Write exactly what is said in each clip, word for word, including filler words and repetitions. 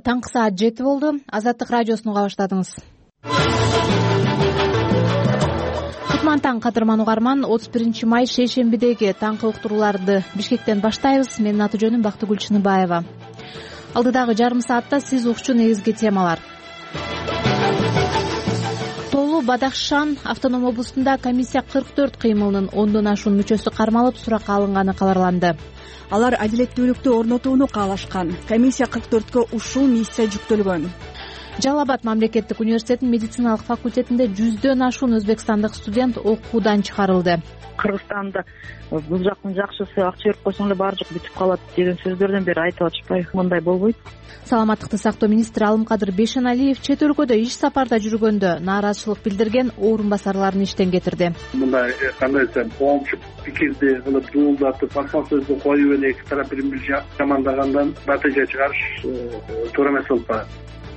таңкы саат жети болду. Азаттык радиосун уга баштадыңыз. Кутман таң кадырман угарман. отуз биринчи май шейшембидеги таңкы уктурууларды Бишкектен баштайбыз. Менин аты жөнүм Бактыгүл Чыныбаева. Алдыдагы жарым саатта сиз укчу негизги темалар. Тоолуу Бадахшан автоном облустунда комиссия кырк төрт кыймылынын ондон ашуун мүчөсү кармалып суракка алынганы кабарланды. Алар адилеттүүлүктү орнотууну каалашкан. Комиссия кырк төрткө ушул миссия жүктөлгөн. Жалал Абад мамлекеттик университетинин медициналык факультетинде жүздөн ашуун өзбекстандык студент окуудан чыгарылды. Кыргызстанда бул жактын жакшысы акча берип койсоң эле баары жок бүтүп калат деген сөздөрдөн бери айтып атышпайбы? Мындай болбойт. Саламаттыкты сактоо министри Алымкадыр Бейшеналиев чет өлкөдө иш сапарда жүргөндө нааразычылык билдирген орун басарларын иштен кетирди. Мындай кандай десем, коомчу пикирди кылып дуулдатып, акча сөздү коюп эле эки тарап бири бири жамандагандан натыйжа чыгарыш туура эмес болуп калат.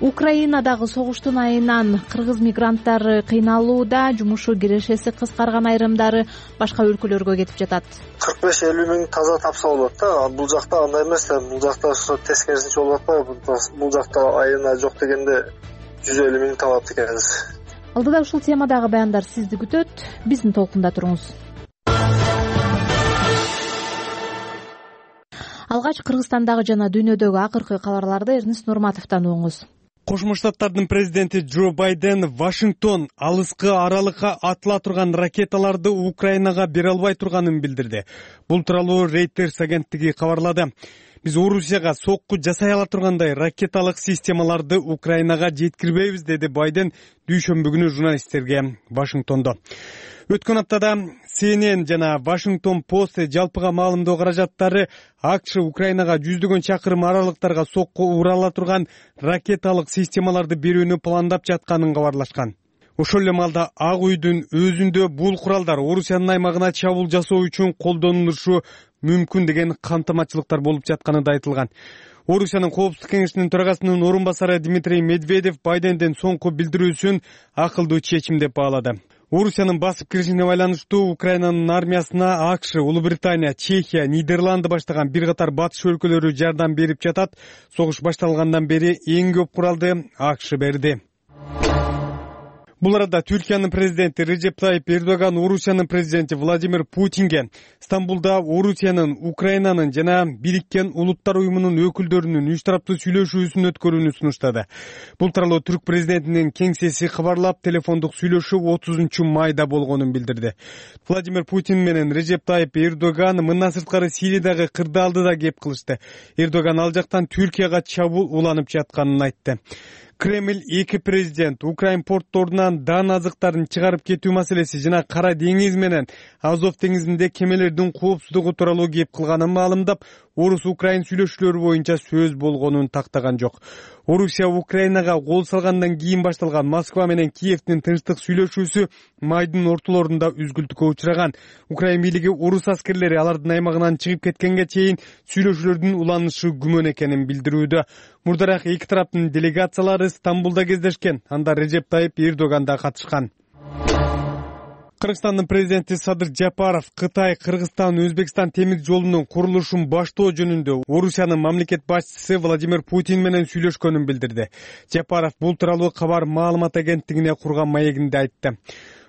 Украинадагы согуштун айынан кыргыз мигранттары кыйналууда, жумушу кирешеси кыскарган айрымдары башка өлкөлөргө кетип жатат. кырк беш элүү миң таза тапса болот да. Бул жакта андай эмес да. Бул жакта ошо тескерисинче болуп атпайбы? Бул жакта айына жок дегенде жүз элүү миң табат экенбиз. Алдыда ушул темадагы баяндар сизди күтөт. Биздин толкунда туруңуз. Алгач Кыргызстандагы жана дүйнөдөгү акыркы кабарларды Эрнест Нурматовдон угуңуз. Кошмо Штаттардын президенти Джо Байден Вашингтон алыскы аралыкка атыла турган ракеталарды Украинага бере албай турганын билдирди. Бул тууралуу Reuters агенттиги кабарлады. Биз Орусияга сокку жасай ала тургандай ракеталык системаларды Украинага жеткирбейбиз, деди Байден дүйшөмбү күнү журналисттерге Вашингтондо. Өткөн аптада Си Эн Эн жана Washington Post жалпыга маалымдоо каражаттары АКШ Украинага жүздөгөн чакырым аралыктарга сокку ура ала турган ракеталык системаларды берүүнү пландап жатканын кабарлашкан. Ошол эле маалда Ак үйдүн өзүндө бул куралдар Орусиянын аймагына чабуул жасоо үчүн колдонулушу мүмкүн деген кантамачылыктар болуп жатканы да айтылган. Орусиянын Коопсуздук кеңешинин төрагасынын орун басары Дмитрий Медведев Байдендин соңку билдирүүсүн акылдуу чечим деп баалады. Орусиянын басып киришине байланыштуу Украинанын армиясына АКШ, Улуу Британия, Чехия, Нидерланды баштаган бир катар батыш өлкөлөрү жардам берип жатат. Согуш башталгандан бери эң көп куралды АКШ берди. Бул арада Түркиянын президенти Режеп Тайип Эрдоган Орусиянын президенти Владимир Путинге Стамбулда Орусиянын, Украинанын жана Бириккен Улуттар уюмунун өкүлдөрүнүн үч тараптуу сүйлөшүүсүн өткөрүүнү сунуштады. Бул тууралуу Түрк президентинин кеңсеси кабарлап, телефондук сүйлөшүү отузунчу майда болгонун билдирди. Владимир Путин менен Режеп Тайип Эрдоган мындан сырткары Сириядагы кырдаалды да кеп кылышты. Эрдоган ал жактан Түркияга чабуул уланып жатканын айтты. Кремль эки президент Украин портторунан дан азыктарын чыгарып кетүү маселеси жана Кара деңиз менен Азов деңизинде кемелердин коопсуздугу тууралуу кеп кылганын маалымдап, Орус-Украин сүйлөшүүлөрү боюнча сөз болгонун тактаган жок. Орусия Украинага кол салгандан кийин башталган Москва менен Киевдин тынчтык сүйлөшүүсү майдын ортолорунда үзгүлтүккө учураган. Украин бийлиги орус аскерлери алардын аймагынан чыгып кеткенге чейин сүйлөшүүлөрдүн уланышы күмөн экенин билдирүүдө. Мурдараак эки тараптын делегациялары Стамбулда кездешкен. Анда Режеп Тайип Эрдоган да катышкан. Кыргызстандын президенти Садыр Жапаров Кытай, Кыргызстан, Өзбекстан темир жолунун курулушун баштоо жөнүндө Орусиянын мамлекет башчысы Владимир Путин менен сүйлөшкөнүн билдирди. Жапаров бул тууралуу кабар маалымат агенттигине курган маегинде айтты.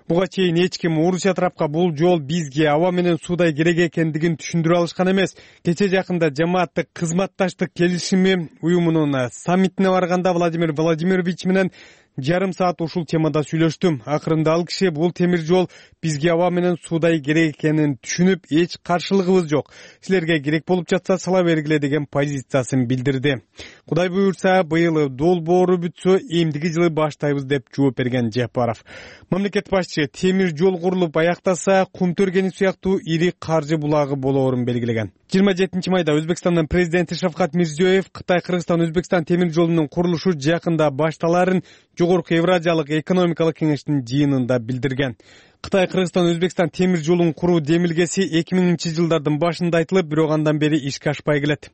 Буга чейин эч ким Орусия тарапка бул жол бизге аба менен суудай керек экендигин түшүндүрө алышкан эмес. Кече жакында жамааттык кызматташтык келишими уюмунун саммитине барганда Владимир Владимирович менен жарым саат ушул темада сүйлөштүм. Акырында ал киши бул темир жол бизге аба менен суудай керек экенин түшүнүп, эч каршылыгыбыз жок. Силерге керек болуп жатса сала бергиле деген позициясын билдирди. Кудай буйрса, быйыл долбоору бүтсө, эмдиги жылы баштайбыз деп жооп берген Жапаров. Мамлекет башчы темир жол курулуп аяктаса, кум төргени сыяктуу ири каржы булагы болоорун белгилеген. жыйырма жетинчи майда Өзбекстандын президенти Шавкат Мирзиёев Кытай, Кыргызстан, Өзбекстан темир жолунун курулушу жакында башталарын Жогорку Евразиялык экономикалык кеңештин жыйынында билдирген. Кытай, Кыргызстан, Өзбекстан темир жолун куруу демилгеси эки миңинчи жылдардын башында айтылып, бирок андан бери ишке ашпай келет.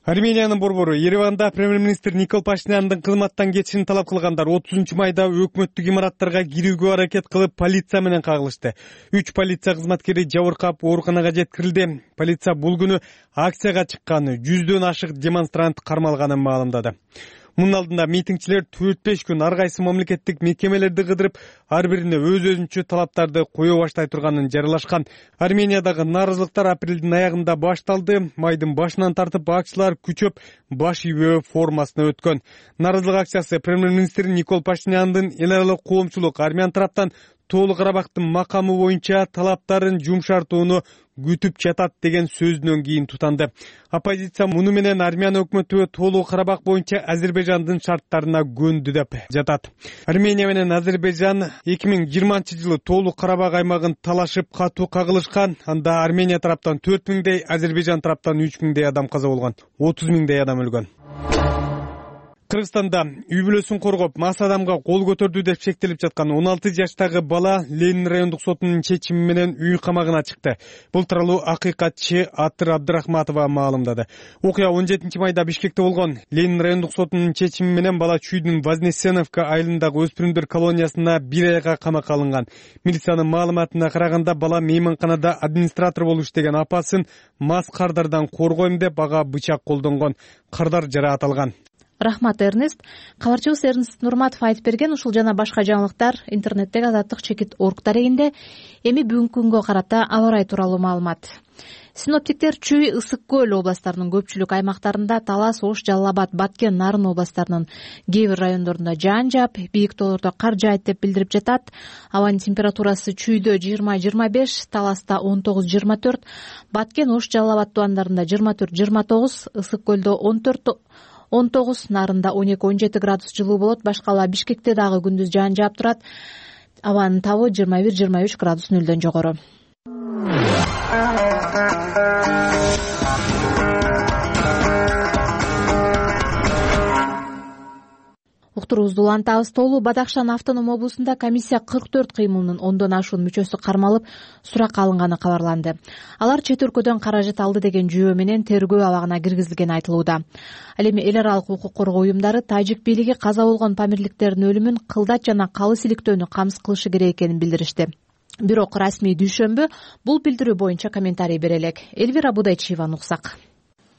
Армениянын борбору Ереванда премьер-министр Никол Пашиняндын кызматтан кетишин талап кылгандар отузунчу майда өкмөттүк имараттарга кирүүгө аракет кылып полиция менен кагылышты. Үч полиция кызматкери жабыркап ооруканага жеткирилди. Полиция бул күнү акцияга чыккан жүздөн ашык демонстрант кармалганын маалымдады. Мунун алдында митингчилер төрт беш күн ар кайсы мамлекеттик мекемелерди кыдырып, ар бирине өз өзүнчө талаптарды кое баштай турганын жарыялашкан. Армениядагы нааразылыктар апрелдин аягында башталды. Майдын башынан тартып акчылар күчөп баш ийбөө формасына өткөн. Нааразылык акциясы премьер-министр Никол Пашиняндын эл аралык коомчулук армян тараптан Тоолу Карабактын макамы боюнча талаптарын жумшартууну күтүп жатат деген сөзүнөн кийин тутанды. Оппозиция муну менен армян өкмөтү Тоолу Карабак боюнча Азербайжандын шарттарына көндү деп жатат. Армения менен Азербайжан эки миң жыйырманчы жылы Тоолу Карабак аймагын талашып катуу кагылышкан. Анда Армения тараптан төрт миңдей, Азербайжан тараптан үч миңдей адам каза болгон, отуз миңдей адам өлгөн. Кыргызстанда үй бүлөсүн коргоп, мас адамга кол көтөрдү деп шектелип жаткан он алты жаштагы бала Ленин райондук сотунун чечими менен үй камагына чыкты. Бул тууралуу акыйкатчы Атыр Абдрахматова маалымдады. Окуя он жетинчи майда Бишкекте болгон. Ленин райондук сотунун чечими менен бала Чүйдүн Вознесеновка айылындагы өспүрүмдөр колониясына бир айга камакка алынган. Милициянын маалыматына караганда бала мейманканада администратор болуп иштеген апасын мас кардардан коргойм деп ага бычак колдонгон. Кардар жараат алган. Рахмат, Эрнест. Кабарчыбыз Эрнест Нурматов айтып берген. Ушул жана башка жаңылыктар интернеттеги Азаттык чекит орг дарегинде. Эми бүгүнкү күнгө карата аба ырайы тууралуу маалымат. Синоптиктер Чүй, Ысык көл областтарынын көпчүлүк аймактарында, Талас, Ош, Жалал Абад, Баткен, Нарын областтарынын кээ бир райондорунда жаан жаап, бийик тоолордо кар жаайт деп билдирип жатат. Абанын температурасы Чүйдө жыйырма жыйырма беш, Таласта он тогуз жыйырма төрт, Баткен, Ош, Жалал Абад тубандарында жыйырма төрт жыйырма тогуз, Ысык көлдө он төрт он тогуз, Нарында он эки он жети градус жылуу болот. Башкала Бишкекте дагы күндүз жаан жаап турат. Абанын табы жыйырма бир жыйырма үч градус нөлдөн жогору. Уктуруубузду улантабыз. Тоолу Бадахшан автоном облусунда комиссия кырк төрт кыймылынын ондон ашуун мүчөсү кармалып, суракка алынганы кабарланды. Алар чет өлкөдөн каражат алды деген жүйөө менен тергөө абагына киргизилгени айтылууда. Ал эми эл аралык укук коргоо уюмдары тажик бийлиги каза болгон памирликтердин өлүмүн кылдат жана калы силиктөөнү камсыз кылышы керек экенин билдиришти. Бирок расмий дүйшөмбү бул билдирүү боюнча комментарий бере элек. Элвира Будайчиеваны уксак.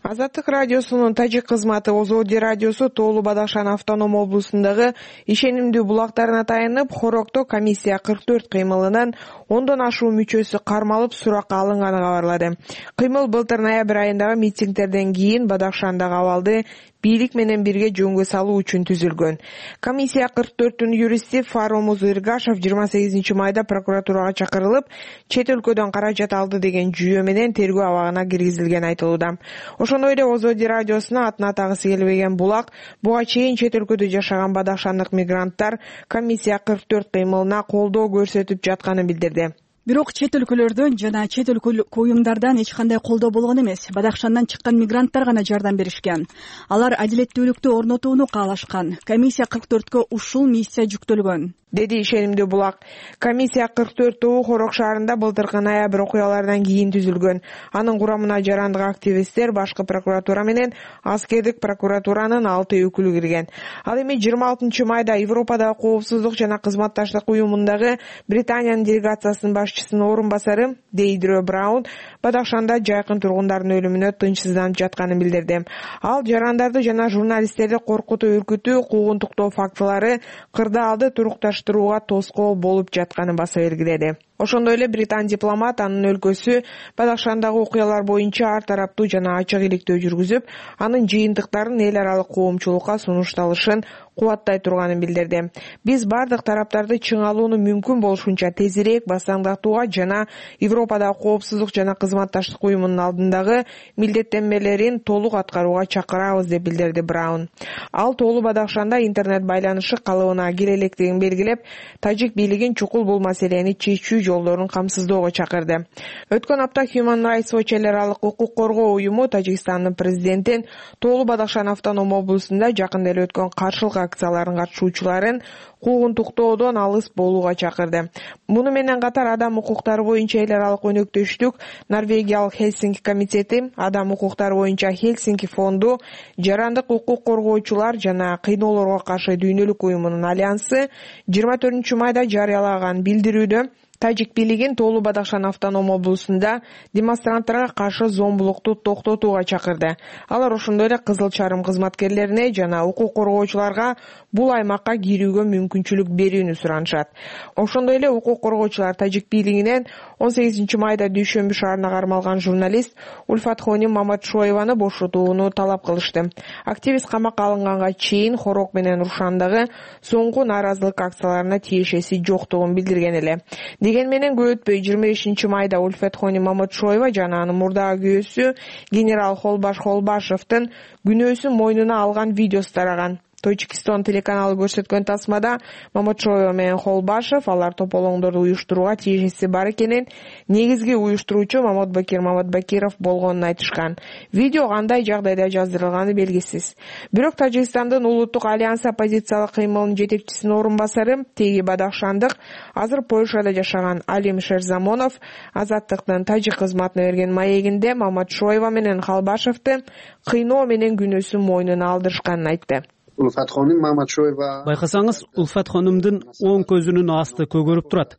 Азаттык радиосунун тажик кызматы Озоди радиосу Тоолу Бадахшан автоном облусундагы ишенимдүү булактарына таянып, Хорокто комиссия кырк төрт кыймылынын ондон ашуун мүчөсү кармалып, суракка алынганы кабарлады. Кыймыл былтыр ноябрь айындагы митингтерден кийин Бадахшандагы абалды бийлик менен бирге жөнгө салуу үчүн түзүлгөн. Комиссия кырк төрттүн юристи Фаромуз Иргашев жыйырма сегизинчи майда прокуратурага чакырылып, чет өлкөдөн каражат алды деген жүйөө менен тергөө абагына киргизилгени айтылууда. Ошондой эле Озоди радиосуна атын атагысы келбеген булак буга чейин чет өлкөдө жашаган бадахшандык мигранттар комиссия кырк төрт кыймылына колдоо көрсөтүп жатканын билдирди. Бирок чет өлкөлөрдөн жана чет өлкөлүк уюмдардан эч кандай колдоо болгон эмес. Бадахшандан чыккан мигранттар гана жардам беришкен. Алар адилеттүүлүктү орнотууну каалашкан. Комиссия кырк төрткө ушул миссия жүктөлгөн, деди ишенимдүү булак. Комиссия кырк төрт тобу Хорок шаарында былтыркы ноябрь окуяларынан кийин түзүлгөн. Анын курамына жарандык активисттер, башкы прокуратура менен аскердик прокуратуранын алты өкүлү кирген. Ал эми жыйырма алтынчы майда Европадагы коопсуздук жана кызматташтык уюмундагы Британиянын делегациясынын башчысынын орун басары Дейдро Браун Бадахшанда жайкын тургундардын өлүмүнө тынчсызданып жатканын билдирди. Ал жарандарды жана журналисттерди коркутуу, үркүтүү, куугунтуктоо фактылары кырдаалды турукташтырууга тоскоол болуп жатканын баса белгиледи. Ошондой эле британ дипломат анын өлкөсү Бадахшандагы окуялар боюнча ар тараптуу жана ачык иликтөө жүргүзүп, анын жыйынтыктарын эл аралык коомчулукка сунушталышын кубаттай турганын билдирди. Биз бардык тараптарды чыңалууну мүмкүн болушунча тезирээк басаңдатууга жана Европадагы коопсуздук жана кызматташтык уюмунун алдындагы милдеттенмелерин толук аткарууга чакырабыз деп билдирди Браун. Ал Тоолу Бадахшанда интернет байланышы калыбына кире электигин белгилеп, тажик бийлигин чукул бул маселени чечүү жолдорун камсыздоого чакырды. Өткөн апта Human Rights Watch эл аралык укук коргоо уюму Тажикстандын президентин Тоолу Бадахшан автоном облусунда жакында эле өткөн каршылык акцияларынын катышуучуларын куугунтуктоодон алыс болууга чакырды. Муну менен катар адам укуктары боюнча эл аралык өнөктөштүк, Норвегиялык Хельсинки комитети, адам укуктары боюнча Хельсинки фонду, жарандык укук коргоочулар жана кыйноолорго каршы дүйнөлүк уюмунун альянсы жыйырма төртүнчү майда жарыялаган билдирүүдө Тажик бийлигин Тоолу Бадахшан автоном облусунда демонстранттарга каршы зомбулукту токтотууга чакырды. Алар ошондой эле Кызыл Чарым кызматкерлерине жана укук коргоочуларга бул аймакка кирүүгө мүмкүнчүлүк берүүнү суранышат. Ошондой эле укук коргоочулар Тажик бийлигинен он сегизинчи майда Дүйшөмбү шаарына кармалган журналист Ульфатхоним Маматшоеваны бошотууну талап кылышты. Активист камакка алынганга чейин Хорок менен Рушандагы соңку нааразылык акцияларына тиешеси жоктугун билдирген эле. Деген менен көп өтпөй жыйырма бешинчи майда Ульфатхоним Маматшоева жана анын мурдагы күйөөсү генерал Холбаш Холбашевдин күнөөсүн мойнуна алган видеосу тараган. Точкистон телеканалы көрсөткөн тасмада Маматшоева менен Холбашев алар тополоңдорду уюштурууга тиешеси бар экенин, негизги уюштуруучу Маматбакир Маматбакиров болгонун айтышкан. Видео кандай жагдайда жаздырылганы белгисиз. Бирок Тажикстандын улуттук альянс оппозициялык кыймылынын жетекчисинин орун басары, теги бадахшандык, азыр Польшада жашаган Алим Шерзамонов Азаттыктын тажик кызматына берген маегинде Маматшоева менен Холбашевди кыйноо менен күнөөсүн мойнуна алдырышканын айтты. Ульфатхоним Маматшоева. Байкасаңыз, Ульфатхонимдин оң көзүнүн асты көгөрүп турат.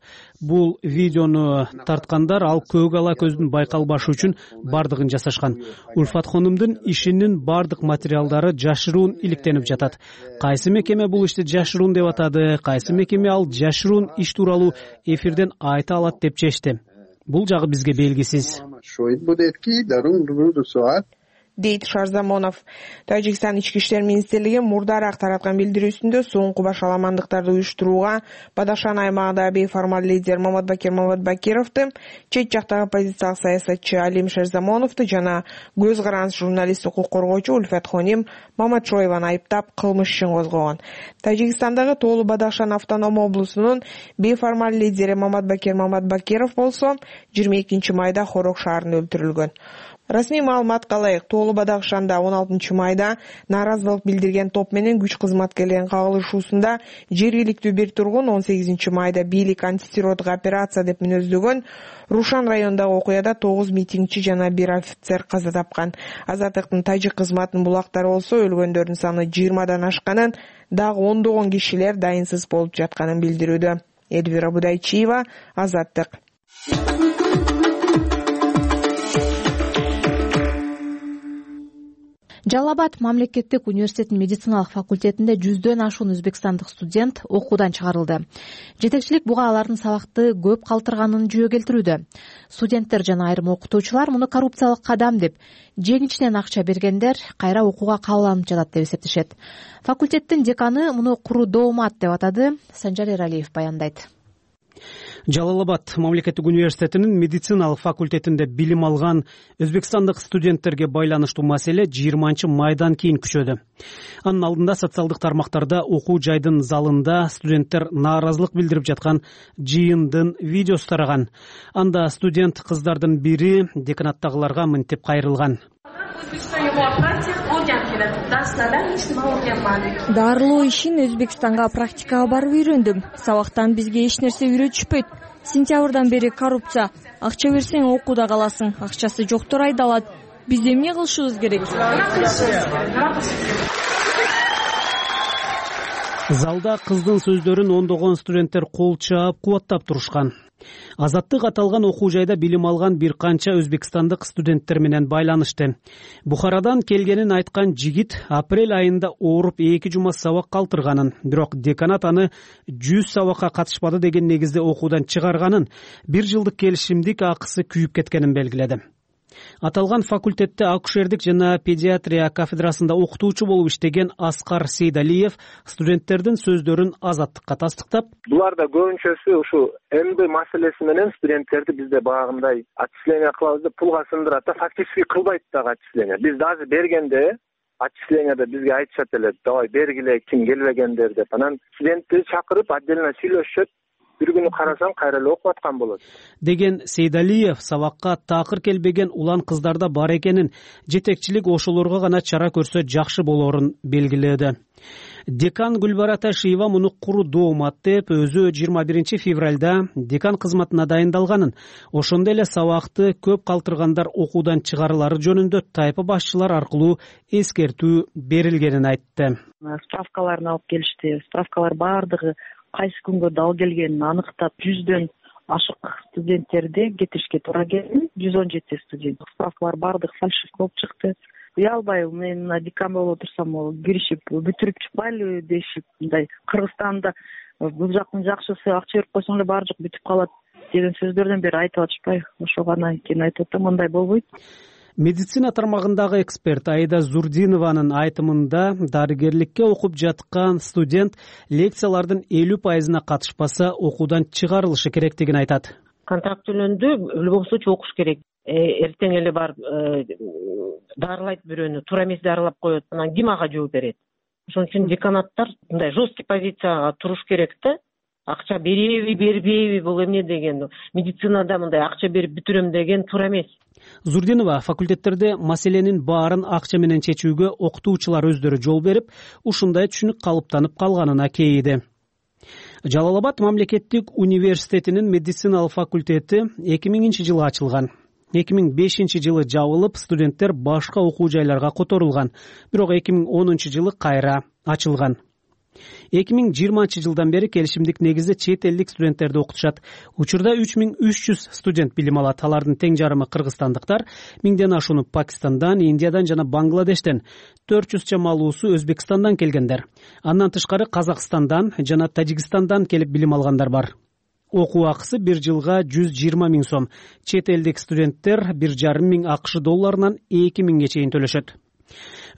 Бул видеону тарткандар ал көк ала көздүн байкалбашы үчүн бардыгын жасашкан. Ульфатхонимдин ишинин бардык материалдары жашыруун иликтенип жатат. Кайсы мекеме бул ишти жашыруун деп атады, кайсы мекеме ал жашыруун иш тууралуу эфирден айта алат деп чечти. Бул жагы бизге белгисиз. Дейт Шарзамонов. Тажикстан ички иштер министрлиги мурдараак тараткан билдирүүсүндө соңку башаламандыктарды уюштурууга Бадахшан аймагында бейформал лидер Маматбакир Маматбакировду, чет жактагы оппозициялык саясатчы Алим Шерзамоновду жана көз караныс журналист укук коргоочу Ульфатхоним Маматшоеваны айыптап кылмыш ишин козгогон. Тажикстандагы Тоолу Бадахшан автоном облусунун бейформал лидери Маматбакир Маматбакиров болсо жыйырма экинчи майда Хорок шаарында өлтүрүлгөн. Расмий маалыматка ылайык, Тоолу Бадахшанда он алтынчы майда нааразылык билдирген топ менен күч кызматкерлеринин кагылышуусунда жергиликтүү бир тургун он сегизинчи майда бийлик антитеррордук операция деп мүнөздөгөн Рушан районундагы окуяда тогуз митингчи жана бир офицер каза тапкан. Азаттыктын тажик кызматынын булактары болсо өлгөндөрдүн саны жыйырмадан ашканын, дагы ондогон кишилер дайынсыз болуп жатканын билдирүүдө. Эльвира Будайчиева, Азаттык. Жалал Абад мамлекеттик университетинин медициналык факультетинде жүздөн ашуун өзбекстандык студент окуудан чыгарылды. Жетекчилик буга алардын сабакты көп калтырганын жөө келтирүүдө. Студенттер жана айрым окутуучулар муну коррупциялык кадам деп, жеңичинен акча бергендер кайра окууга кабыланып жатат деп эсептешет. Факультеттин деканы муну куру доомат деп атады. Санжар Эралиев баяндайт. Жалал Абад мамлекеттик университетинин медициналык факультетинде билим алган өзбекстандык студенттерге байланыштуу маселе жыйырманчы майдан кийин күчөдү. Анын алдында социалдык тармактарда окуу жайдын залында студенттер нааразылык билдирип жаткан жыйындын видеосу тараган. Анда студент кыздардын бири деканаттагыларга мынтип кайрылган. Дарылоо ишин Өзбекстанга практикага барып үйрөндүм. Сабактан бизге эч нерсе үйрөтүшпөйт. Сентябрдан бери коррупция. Акча берсең окууда каласың, акчасы жоктор айдалат. Биз эмне кылышыбыз керек? Залда кыздын сөздөрүн ондогон студенттер кол чаап кубаттап турушкан. Азаттык аталган окуу жайда билим алган бир канча өзбекстандык студенттер менен байланышты. Бухарадан келгенин айткан жигит апрель айында ооруп эки жума сабак калтырганын, бирок деканат аны жүз сабакка катышпады деген негизде окуудан чыгарганын, бир жылдык келишимдик акысы күйүп кеткенин белгиледи. Аталган факультетте акушердик жана педиатрия кафедрасында окутуучу болуп иштеген Аскар Сейдалиев студенттердин сөздөрүн Азаттыкка тастыктап, буларда көбүнчөсү ушу МБ маселеси менен студенттерди бизде багындай отчисление кылабыз деп пулга сындырат да, фактически кылбайт дагы отчисление. Биз даже бергенде отчисленияда бизге айтышат эле, давай бергиле, ким келбегендер деп. Анан студентти чакырып отдельно сүйлөшүшөт. бир күнү карасаң кайра эле окуп аткан болот деген Сейдалиев сабакка такыр келбеген улан кыздарда бар экенин, жетекчилик ошолорго гана чара көрсө жакшы болорун белгиледи. Декан Гүлбара Ташиева муну куру доомат деп, өзү жыйырма биринчи февралда декан кызматына дайындалганын, ошондой эле сабакты көп калтыргандар окуудан чыгарылары жөнүндө тайпа башчылар аркылуу эскертүү берилгенин айтты. Справкаларын алып келишти. Справкалар баардыгы кайсы күнгө дал келгенин аныктап, жүздөн ашык студенттерди кетиришке туура келди. жүз он жети студент. Справкалар баардыгы фальшив болуп чыкты. Уялбай, мен мына декабрь болуп турсам, ол киришип бүтүрүп чыкпайлы дешип, мындай Кыргызстанда бул жактын жакшысы акча берип койсоң эле баары жок бүтүп калат деген сөздөрдөн бери айтып атышпайбы? Ошого гана кийин айтып атам, мындай болбойт. Медицина тармагындагы эксперт Аида Зурдинованын айтымында, дарыгерликке окуп жаткан студент лекциялардын элүү пайызына катышпаса, окуудан чыгарылышы керектигин айтат. Контракт төлөндү, в любом случае окуш керек. Эртең эле барып дарылайт бирөөнү, туура эмес дарылап коет. Анан ким ага жооп берет? Ошон үчүн деканаттар мындай жесткий позицияга туруш керек да. Акча береби, бербейби, бул эмне деген. Медицинада мындай акча берип бүтүрөм деген туура эмес. Зурдинова факультеттерде маселенин баарын акча менен чечүүгө окутуучулар өздөрү жол берип, ушундай түшүнүк калыптанып калганына кейиди. Жалал Абад мамлекеттик университетинин медициналык факультети эки миңинчи жылы ачылган. эки миң бешинчи жылы жабылып, студенттер башка окуу жайларга которулган. Бирок эки миң онунчу жылы кайра ачылган. эки миң жыйырманчы жылдан бери келишимдик негизде чет элдик студенттерди окутушат. Учурда үч миң үч жүз студент билим алат. Алардын тең жарымы кыргызстандыктар, миңден ашууну Пакистандан, Индиядан жана Бангладештен, төрт жүз чамалуусу Өзбекстандан келгендер. Андан тышкары Казакстандан жана Тажикстандан келип билим алгандар бар. Окуу акысы бир жылга жүз жыйырма миң сом. Чет элдик студенттер бир жарым миң АКШ долларынан эки миңге чейин төлөшөт.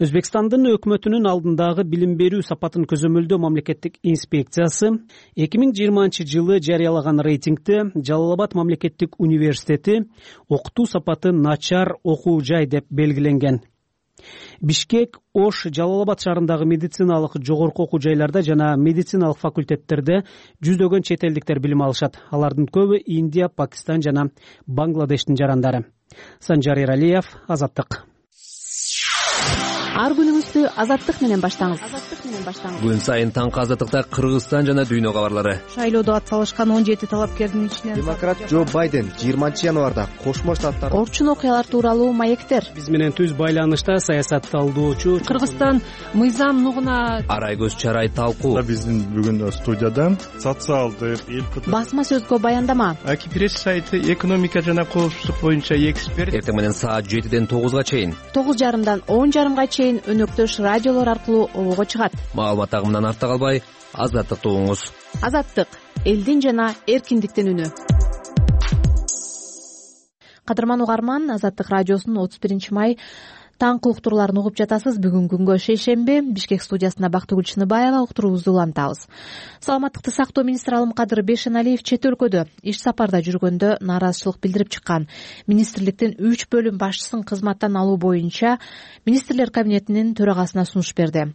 Өзбекстандын өкмөтүнүн алдындагы билим берүү сапатын көзөмөлдөө мамлекеттик инспекциясы эки миң жыйырманчы жылы жарыялаган рейтингде Жалал Абад мамлекеттик университети окутуу сапаты начар окуу жай деп белгиленген. Бишкек, Ош, Жалал Абад шаарындагы медициналык жогорку окуу жайларда жана медициналык факультеттерде жүздөгөн чет элдиктер билим алышат. Алардын көбү Индия, Пакистан жана Бангладештин жарандары. Санжар Эралиев, Азаттык. Ар күнүңүздү Азаттык менен баштаңыз. Азаттык менен баштаңыз. Күн сайын таңкы Азаттыкта Кыргызстан жана дүйнө кабарлары. Шайлоодо атсалышкан он жети талапкердин ичинен демократ Джо Байден жыйырманчы январда Кошмо Штаттар орчун окуялар тууралуу маектер. Биз менен түз байланышта саясатталдоочу Кыргызстан мыйзам нугуна Арайгөз Чарай талкуу. Биздин бүгүн студияда социалдык эл басма сөзгө баяндама. Аки пресс сайты экономика жана коопсуздук боюнча эксперт. Эртең менен саат жетиден тогузга чейин. тогуз жарымдан он жарымга чейин өнөктөш радиолор аркылуу обого чыгат. Маалымат агымынан артта калбай, Азаттыкты угуңуз. Азаттык — элдин жана эркиндиктин үнү. Кадырман угарман, Азаттык радиосунун отуз биринчи май таңкы уктурууларын угуп жатасыз. Бүгүн күнгө шейшемби, Бишкек студиясында Бактыгүл Чыныбаева уктуруубузду улантабыз. Саламаттыкты сактоо министри Алымкадыр Бейшеналиев чет өлкөдө иш сапарда жүргөндө нааразычылык билдирип чыккан. Министрликтин үч бөлүм башчысын кызматтан алуу боюнча министрлер кабинетинин төрагасына сунуш берди.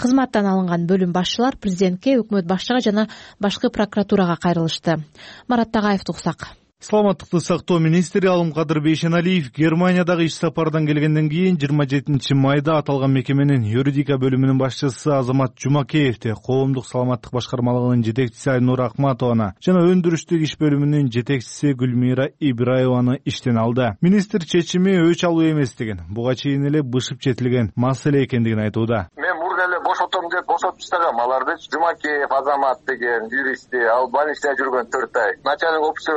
Кызматтан алынган бөлүм башчылар президентке, өкмөт башчыга жана башкы прокуратурага кайрылышты. Марат Тагаевди уксак. Саламаттыкты сактоо министри Алымкадыр Бейшеналиев Германиядагы иш сапардан келгенден кийин жыйырма жетинчи майда аталган мекеменин юридика бөлүмүнүн башчысы Азамат Жумакеевди, коомдук саламаттык башкармалыгынын жетекчиси Айнура Акматованы жана өндүрүштүк иш бөлүмүнүн жетекчиси Гүлмира Ибраеваны иштен алды. Министр чечими өч алуу эместигин, буга чейин эле бышып жетилген маселе экендигин айтууда. Бошотом деп бошотуп таштагам аларды. Жумакеев Азамат деген юристти, ал больницада жүргөн төрт ай. Начальник офицер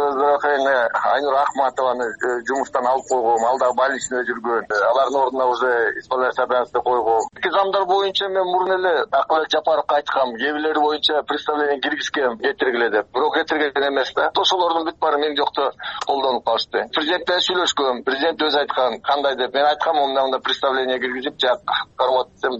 Айнура Акматованы жумуштан алып койгом, ал дагы больницада жүргөн. Алардын ордуна уже исполняющий обязанности койгом. Эки замдар боюнча мен мурун эле Акылбек Жапаровго айткам, кээ бирлери боюнча представление киргизгем, кетиргиле деп. Бирок кетирген эмес да. Ошолордун бүт баары мен жокто колдонуп калышты. Президент менен сүйлөшкөм, президент өзү айткан, кандай деп. Мен айткам, мындай представление киргизип, жак карматсам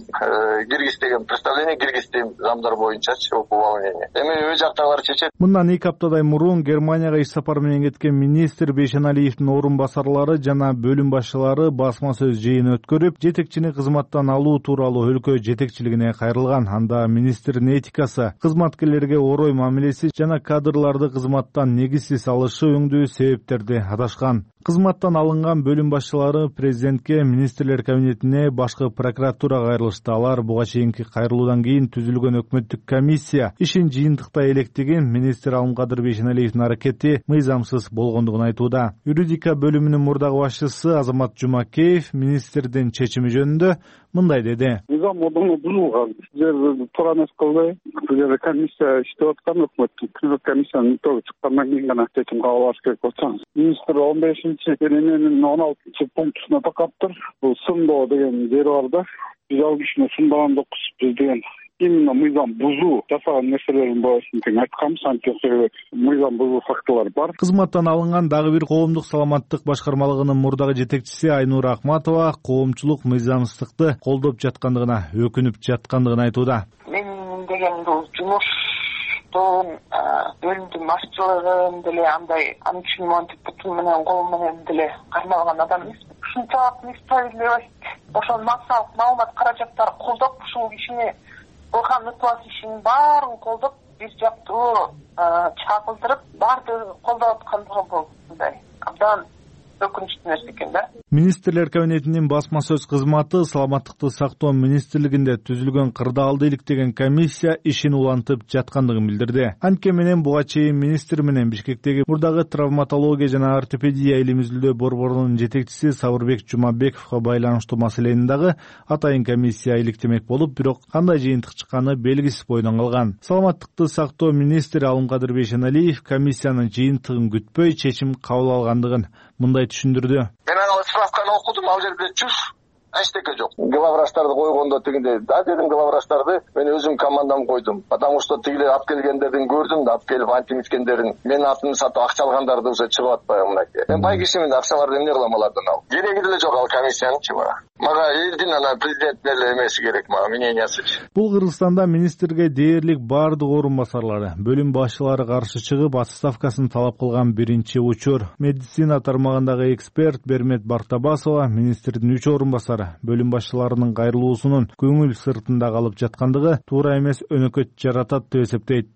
киргиздеген представление киргиздим замдар боюнчачы уполнение. Эми өз жактагылар чечет. Мындан эки аптадай мурун Германияга иш сапары менен кеткен министр Бейшеналиевдин орун басарлары жана бөлүм башчылары басма сөз жыйын өткөрүп, жетекчини кызматтан алуу тууралуу өлкө жетекчилигине кайрылган. Анда министрдин этикасы, кызматкерлерге орой мамилеси жана кадрларды кызматтан негизсиз алышы өңдүү себептерди аташкан. Кызматтан алынган бөлүм башчылары президентке, министрлер кабинетине, башкы прокуратурага кайрылышты. Алар буга чейинки кайрылуудан кийин түзүлгөн өкмөттүк комиссия ишин жыйынтыктай электеген, министр Алымкадыр Бейшеналиевдин аракети мыйзамсыз болгондугун айтууда. Юридика бөлүмүнүн мурдагы башчысы Азамат Жумакеев министрдин чечими жөнүндө мындай деди. Мыйзам модуну бузулган. Сиздер туура эмес кылбай, бул жерде комиссия иштеп аткан, өкмөттүк комиссиянын итоги чыккандан кийин гана чечим кабыл алыш керек болсоңуз. Министр он бешинчи берененин он алтынчы пунктуна такаптыр. Бул сындоо деген жери бар да. Биз ал кишини сындаган жокпуз. Биз деген именно мыйзам бузуу жасаган нерселерин боюнча тең айтканбыз, антип мыйзам бузуу фактылар бар. Кызматтан алынган дагы бир коомдук саламаттык башкармалыгынын мурдагы жетекчиси Айнура Акматова коомчулук мыйзамсыздыкты колдоп жаткандыгына, өкүнүп жаткандыгын айтууда. Мен деген бул жумуш бөлүмдүн башчылыгын деле андай аны үчүн монтип бутум менен кол менен деле кармалган адам эмес. Ушунчалык несправедливость, ошол массалык маалымат каражаттары колдоп ушул кишини кылган ыплас ишинин баарын колдоп бир жактуу чагылдырып баардыгы колдоп аткандыгы бул мындай абдан өкүнүчтүү нерсе экен да. Министрлер кабинетинин басма сөз кызматы саламаттыкты сактоо министрлигинде түзүлгөн кырдаалды иликтеген комиссия ишин улантып жаткандыгын билдирди. Анткени менен буга чейин министр менен Бишкектеги мурдагы травматология жана ортопедия илим изилдөө борборунун жетекчиси Сабырбек Жумабековго байланыштуу маселени дагы атайын комиссия иликтемек болуп, бирок кандай жыйынтык чыкканы белгисиз бойдон калган. Саламаттыкты сактоо министри Алымкадыр Бейшеналиев комиссиянын жыйынтыгын күтпөй чечим кабыл алгандыгын мындай түшүндүрдү. Мен аны справканы окудум, ал жерде чүш эчтеке жок. Главврачтарды койгондо тигинде, да дедим, главврачтарды мен өзүм командам койдум. Потому что тигилер алып келгендердин көрдүм да, алып келип антимиткендерин, менин атымды сатып акча алгандарды уже чыгып атпайбы мынакей. Мен бай кишимин, акчаларды эмне кылам алардан алып? Кереги деле жок ал комиссиянычы бара. Мага элдин ана президент деле эмеси керек, мага мнениясы. Бул Кыргызстанда министрге дээрлик баардык орун басарлары, бөлүм башчылары каршы чыгып, отставкасын талап кылган биринчи учур. Медицина тармагындагы эксперт Бермет Бартабасова министрдин үч орун басары бөлүм башчыларынын кайрылуусунун көңүл сыртында калып жаткандыгы туура эмес өнөкөт жаратат деп эсептейт.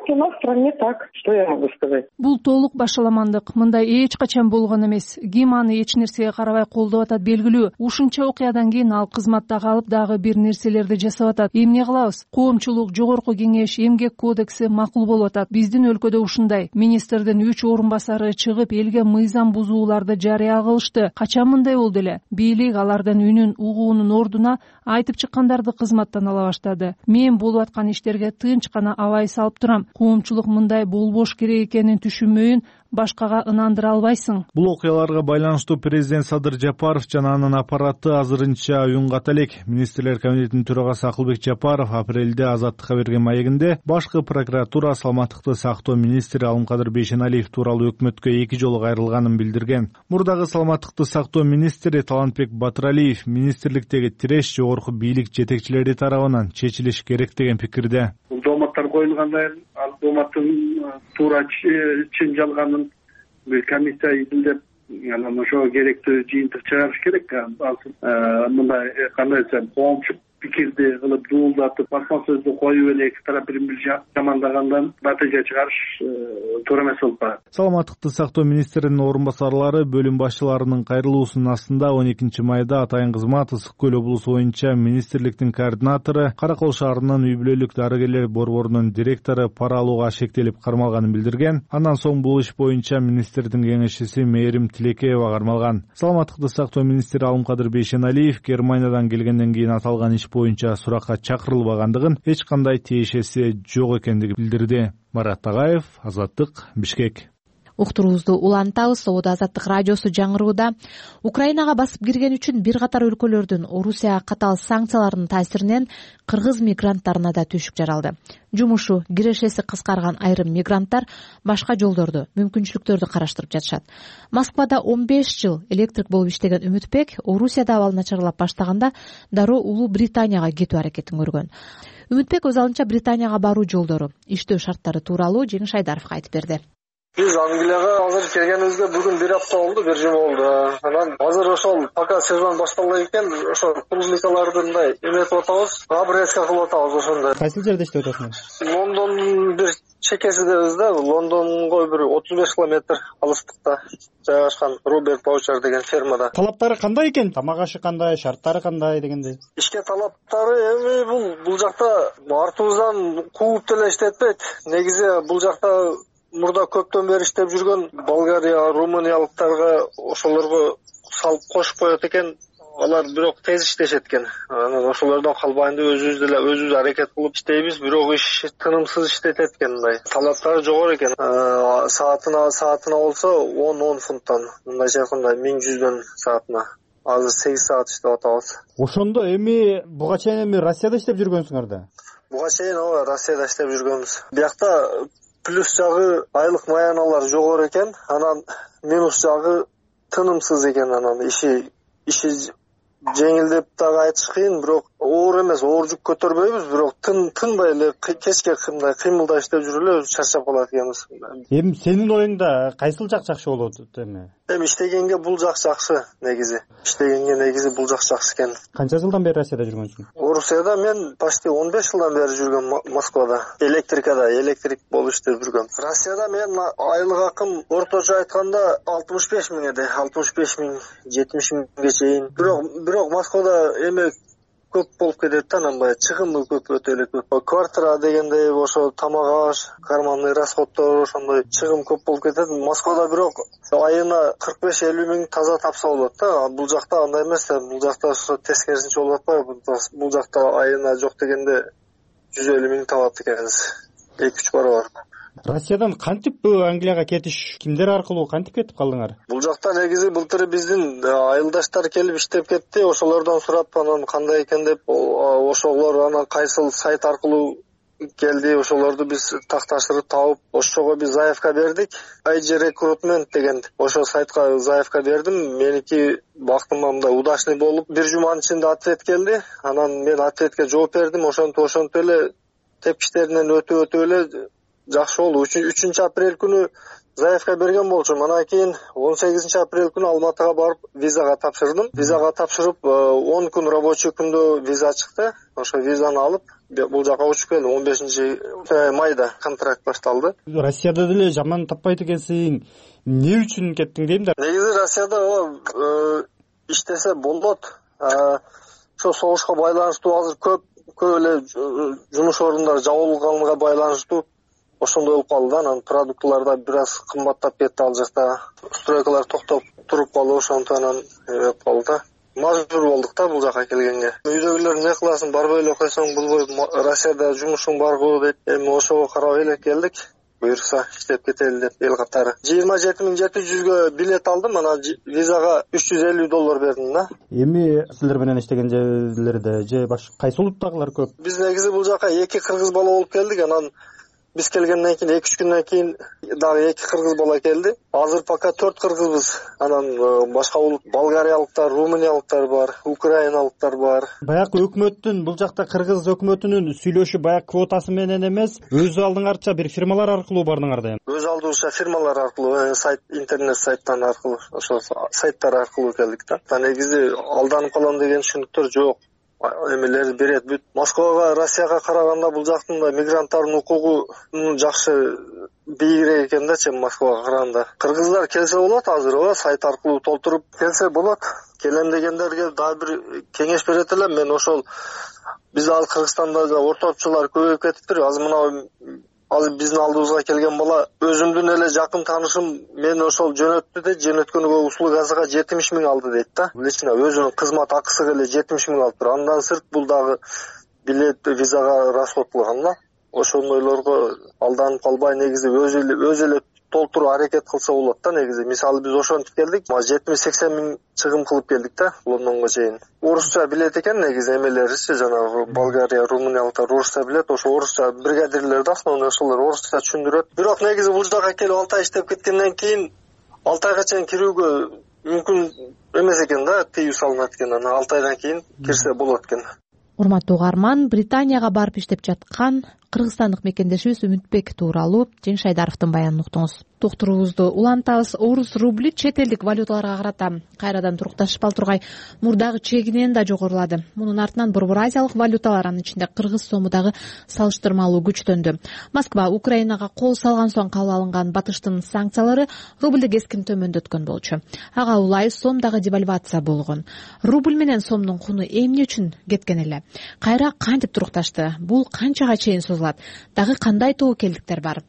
У нас в стране так, что я могу сказать. Бул толук башаламандык. Мындай эч качан болгон эмес. Ким аны эч нерсеге карабай колдоп атат белгилүү. Ушунча окуядан кийин ал кызматта калып дагы бир нерселерди жасап атат. Эмне кылабыз? Коомчулук, жогорку кеңеш, эмгек кодекси макул болуп атат. Биздин өлкөдө ушундай. Министрдин үч орун басары чыгып элге мыйзам бузууларды жарыя кылышты. Качан мындай болду эле? Бийлик алардын үнүн угуунун ордуна айтып чыккандарды кызматтан ала баштады. Мен болуп аткан иштерге тынч гана абай салып турам. Коомчулук мындай болбош керек экенин түшүнмөйүн башкага ынандыра албайсың. Бул окуяларга байланыштуу президент Садыр Жапаров жана анын аппараты азырынча уюнгата элек. Министрлер кабинетинин төрагасы Акылбек Жапаров апрелде Азаттыкка берген маегинде башкы прокуратура саламаттыкты сактоо министри Алымкадыр Бейшеналиев тууралуу өкмөткө эки жолу кайрылганын билдирген. Мурдагы саламаттыкты сактоо министри Талантбек Батыралиев министрликтеги тиреш жогорку бийлик жетекчилери тарабынан чечилиш керек деген пикирде. Дооматтар коюлгандан кийин ал дооматтын туура чын жалганын бир комиссия изилдеп, анан ошого керектүү жыйынтык чыгарыш керек. Мындай кандай десем, коомчу пикирди кылып дуулдатып, басма сөздү коюп эле эки тарап бири бири жамандагандан натыйжа чыгарыш туура эмес болуп калат. Саламаттыкты сактоо министринин орун басарлары бөлүм башчыларынын кайрылуусунун астында он экинчи майда Атайын Кызмат Ысык Көл облусу боюнча министрликтин координатору, Каракол шаарынын үй бүлөлүк дарыгерлер борборунун директору пара алууга шектелип кармалганын билдирген. Андан соң бул иш боюнча министрдин кеңешчиси Мээрим Тилекеева кармалган. Саламаттыкты сактоо министри Алымкадыр Бейшеналиев Германиядан келгенден кийин аталган иш боюнча суракка чакырылбагандыгын, эч кандай тиешеси жок экендигин билдирди. Марат Тагаев, Азаттык, Бишкек. уктуруубузду улантабыз. Сободо Азаттык радиосу жаңырууда. Украинага басып кирген үчүн бир катар өлкөлөрдүн Орусияга катаал санкцияларынын таасиринен кыргыз мигранттарына да түйшүк жаралды. Жумушу, кирешеси кыскарган айрым мигранттар башка жолдорду, мүмкүнчүлүктөрдү караштырып жатышат. Москвада он беш жыл электрик болуп иштеген Үмүтбек Орусияда абал начарлап баштаганда дароо Улуу Британияга кетүү аракетин көргөн. Үмүтбек өз алынча Британияга баруу жолдору, иштөө шарттары тууралуу Жеңиш Айдаровго айтып берди. Биз Англияга азыр келгенибизге бүгүн бир апта болду, бир жума болду. Анан азыр ошол пока сезон башталган экен, ошо публикаларды мындай эметип атабыз, обрезка кылып атабыз ошондой. Кайсыл жерде иштеп атасыңар? Лондондун бир чекесидебиз да, Лондонго бир отуз беш километр алыстыкта жайгашкан Роберт Баучар деген фермада. Талаптары кандай экен? Тамак ашы кандай, шарттары кандай дегендей? Ишке талаптары эми бул бул жакта артыбыздан кууп деле иштетпейт. Негизи бул жакта мурда көптөн бери иштеп жүргөн Болгария, Румыниялыктарга ошолорго салып кошуп коет экен. Алар бирок тез иштешет экен. Анан ошолордон калбайын деп өзүбүз деле өзүбүз аракет кылып иштейбиз, бирок иш тынымсыз иштетет экен. Мындай талаптары жогору экен. Саатына саатына болсо он фунттан, мындайча айтканда миң жүздөн саатына. Азыр сегиз саат иштеп атабыз. Ошондо эми буга чейин эми Россияда иштеп жүргөнсүңөр да? Буга чейин ооба Россияда иштеп жүргөнбүз. Биякта плюс жагы айлык маяналар жогору экен, анан минус жагы тынымсыз экен. Анан иши иши жеңилдеп дагы айтыш кыйын, бирок оор эмес, оор жүк көтөрбөйбүз, бирок тын тынбай эле кечке мындай кыймылдап иштеп жүрүп эле чарчап калат экенбиз. Эми сенин оюңда кайсыл жак жакшы болот эми? Эми иштегенге бул жак жакшы негизи. Иштегенге негизи бул жак жакшы экен. Канча жылдан бери Россияда жүргөнсүң? Орусияда мен почти он беш жылдан бери жүргөм, Москвада. Электрикада, электрик болуп иштеп жүргөм. Россияда мен айлык акым орточо айтканда алтымыш беш миң эди, алтымыш беш миң, жетимиш миңге чейин. Бирок бирок Москвада эме көп болуп кетет да, анан баягы чыгымы көп, өтө эле көп. Квартира дегенде ошо тамак аш, карманный расходдор ошондой чыгым көп болуп кетет. Москвада бирок айына кырк беш элүү миң таза тапса болот да. Бул жакта андай эмес да, бул жакта ошо тескерисинче болуп атпайбы? Бул жакта айына жок дегенде жүз элүү миң табат экенбиз. эки үч барабар. Россиядан кантип Англияга кетиш, кимдер аркылуу кантип кетип калдыңар? Бул жакта негизи былтыр биздин айылдаштар келип иштеп кетти, ошолордон сурап анан кандай экен деп, ошолор анан кайсыл сайт аркылуу келди, ошолорду биз такташырып табып, ошого биз заявка бердик. ай джи Recruitment деген ошо сайтка заявка бердим. Меники бактыма мындай удачный болуп, бир жуманын ичинде ответ келди. Анан мен ответке жооп бердим, ошентип ошентип эле тепкичтеринен өтүп өтүп эле жакшы болду. үчүнчү апрель күнү заявка берген болчумун. Анан кийин он сегизинчи апрель күнү Алматыга барып визага тапшырдым. Визага тапшырып он күн рабочий күндө виза чыкты. Ошо визаны алып бул жака учуп келдим. он бешинчи майда контракт башталды. Россияда деле жаман таппайт экенсиң. Эмне үчүн кеттиң дейм да? Негизи Россияда иштесе болот. Ошо согушка байланыштуу азыр көп көп эле жумуш орундары жабылганга байланыштуу ошондой болуп калды. Анан продуктылар бир аз кымбаттап кетти ал жакта. Стройкалар токтоп туруп калды, ошентип анан эме калды. Мажбур болдук да бул жака келгенге. Үйдөгүлөр эмне кыласың, барбай эле койсоң болбойт, Россияда жумушуң барбы деп, эми ошого карап эле келдик. Буюрса иштеп кетели деп эл катары. жыйырма жети миң жети жүзгө билет алдым, анан визага үч жүз элүү доллар бердим да. Эми силер менен иштеген жерлерде же башка кайсы улуттагылар көп? Биз негизи бул жака эки кыргыз бала болуп келдик, анан биз келгенден кийин эки үч күндөн кийин дагы эки кыргыз бала келди. Азыр пока төрт кыргызбыз. Анан башка улут болгариялыктар, румыниялыктар бар, украиналыктар бар. Баягы өкмөттүн, бул жакта кыргыз өкмөтүнүн сүйлөшүп баягы квотасы менен эмес, өз алдыңарча бир фирмалар аркылуу бардыңар да эми. Өз алдыбызча фирмалар аркылуу, сайт, интернет сайттан аркылуу, ошо сайттар аркылуу келдик да. Негизи алданып калам деген түшүнүктөр жок. Эмелер берет бүт. Москвага, Россияга караганда бул жактын да мигранттардын укугу жакшы бийигирээк экен да, чем Москвага караганда. Кыргыздар келсе болот азыр, ооба, сайт аркылуу толтуруп келсе болот. Келем дегендерге дагы бир кеңеш берет элем. Мен ошол биз ал Кыргызстанда да ортопчулар көбөйүп кетиптир. Азыр мына азыр биздин алдыбызга келген бала өзүмдүн эле жакын таанышым мен ошол жөнөттү да, жөнөткөнгө услугасыга жетимиш миң алды дейт да. Лично өзүнүн кызмат акысыга эле жетимиш миң алып тур. Андан сырт бул дагы билет, визага расход кылган да. Ошондойлорго алданып калбай, негизи өзү эле өз эле толтуруу аракет кылса болот да. Негизи мисалы биз ошентип келдик, жетимиш сексен миң чыгым кылып келдик да Лондонго чейин. Орусча билет экен негизи эмелеричи, жанагы Болгария, румыниялыктар орусча билет, ошо орусча бригадирлер да основной ошолор орусча түшүндүрөт. Бирок негизи бул жака келип алты ай иштеп кеткенден кийин алты айга чейин кирүүгө мүмкүн эмес экен да, тыюу салынат экен. Анан алты айдан кийин кирсе болот экен. Урматтуу угарман, Британияга барып иштеп жаткан кыргызстандык мекендешибиз Үмүтбек тууралуу Жеңиш Айдаровдун баянын уктуңуз. Туктуруубузду улантабыз. Орус рубли чет элдик валюталарга карата кайрадан турукташпай тургай мурдагы чегинен да жогорулады. Мунун артынан Борбор Азиялык валюталар, анын ичинде кыргыз сому дагы салыштырмалуу күчтөндү. Москва Украинага кол салган соң кабыл алынган батыштын санкциялары рубльди кескин төмөндөткөн болчу. Ага улай сом дагы девальвация болгон. Рубль менен сомдун куну эмне үчүн кеткен эле? Кайра кантип турукташты? Бул канчага чейин созулат? Дагы кандай тобокелдиктер бар?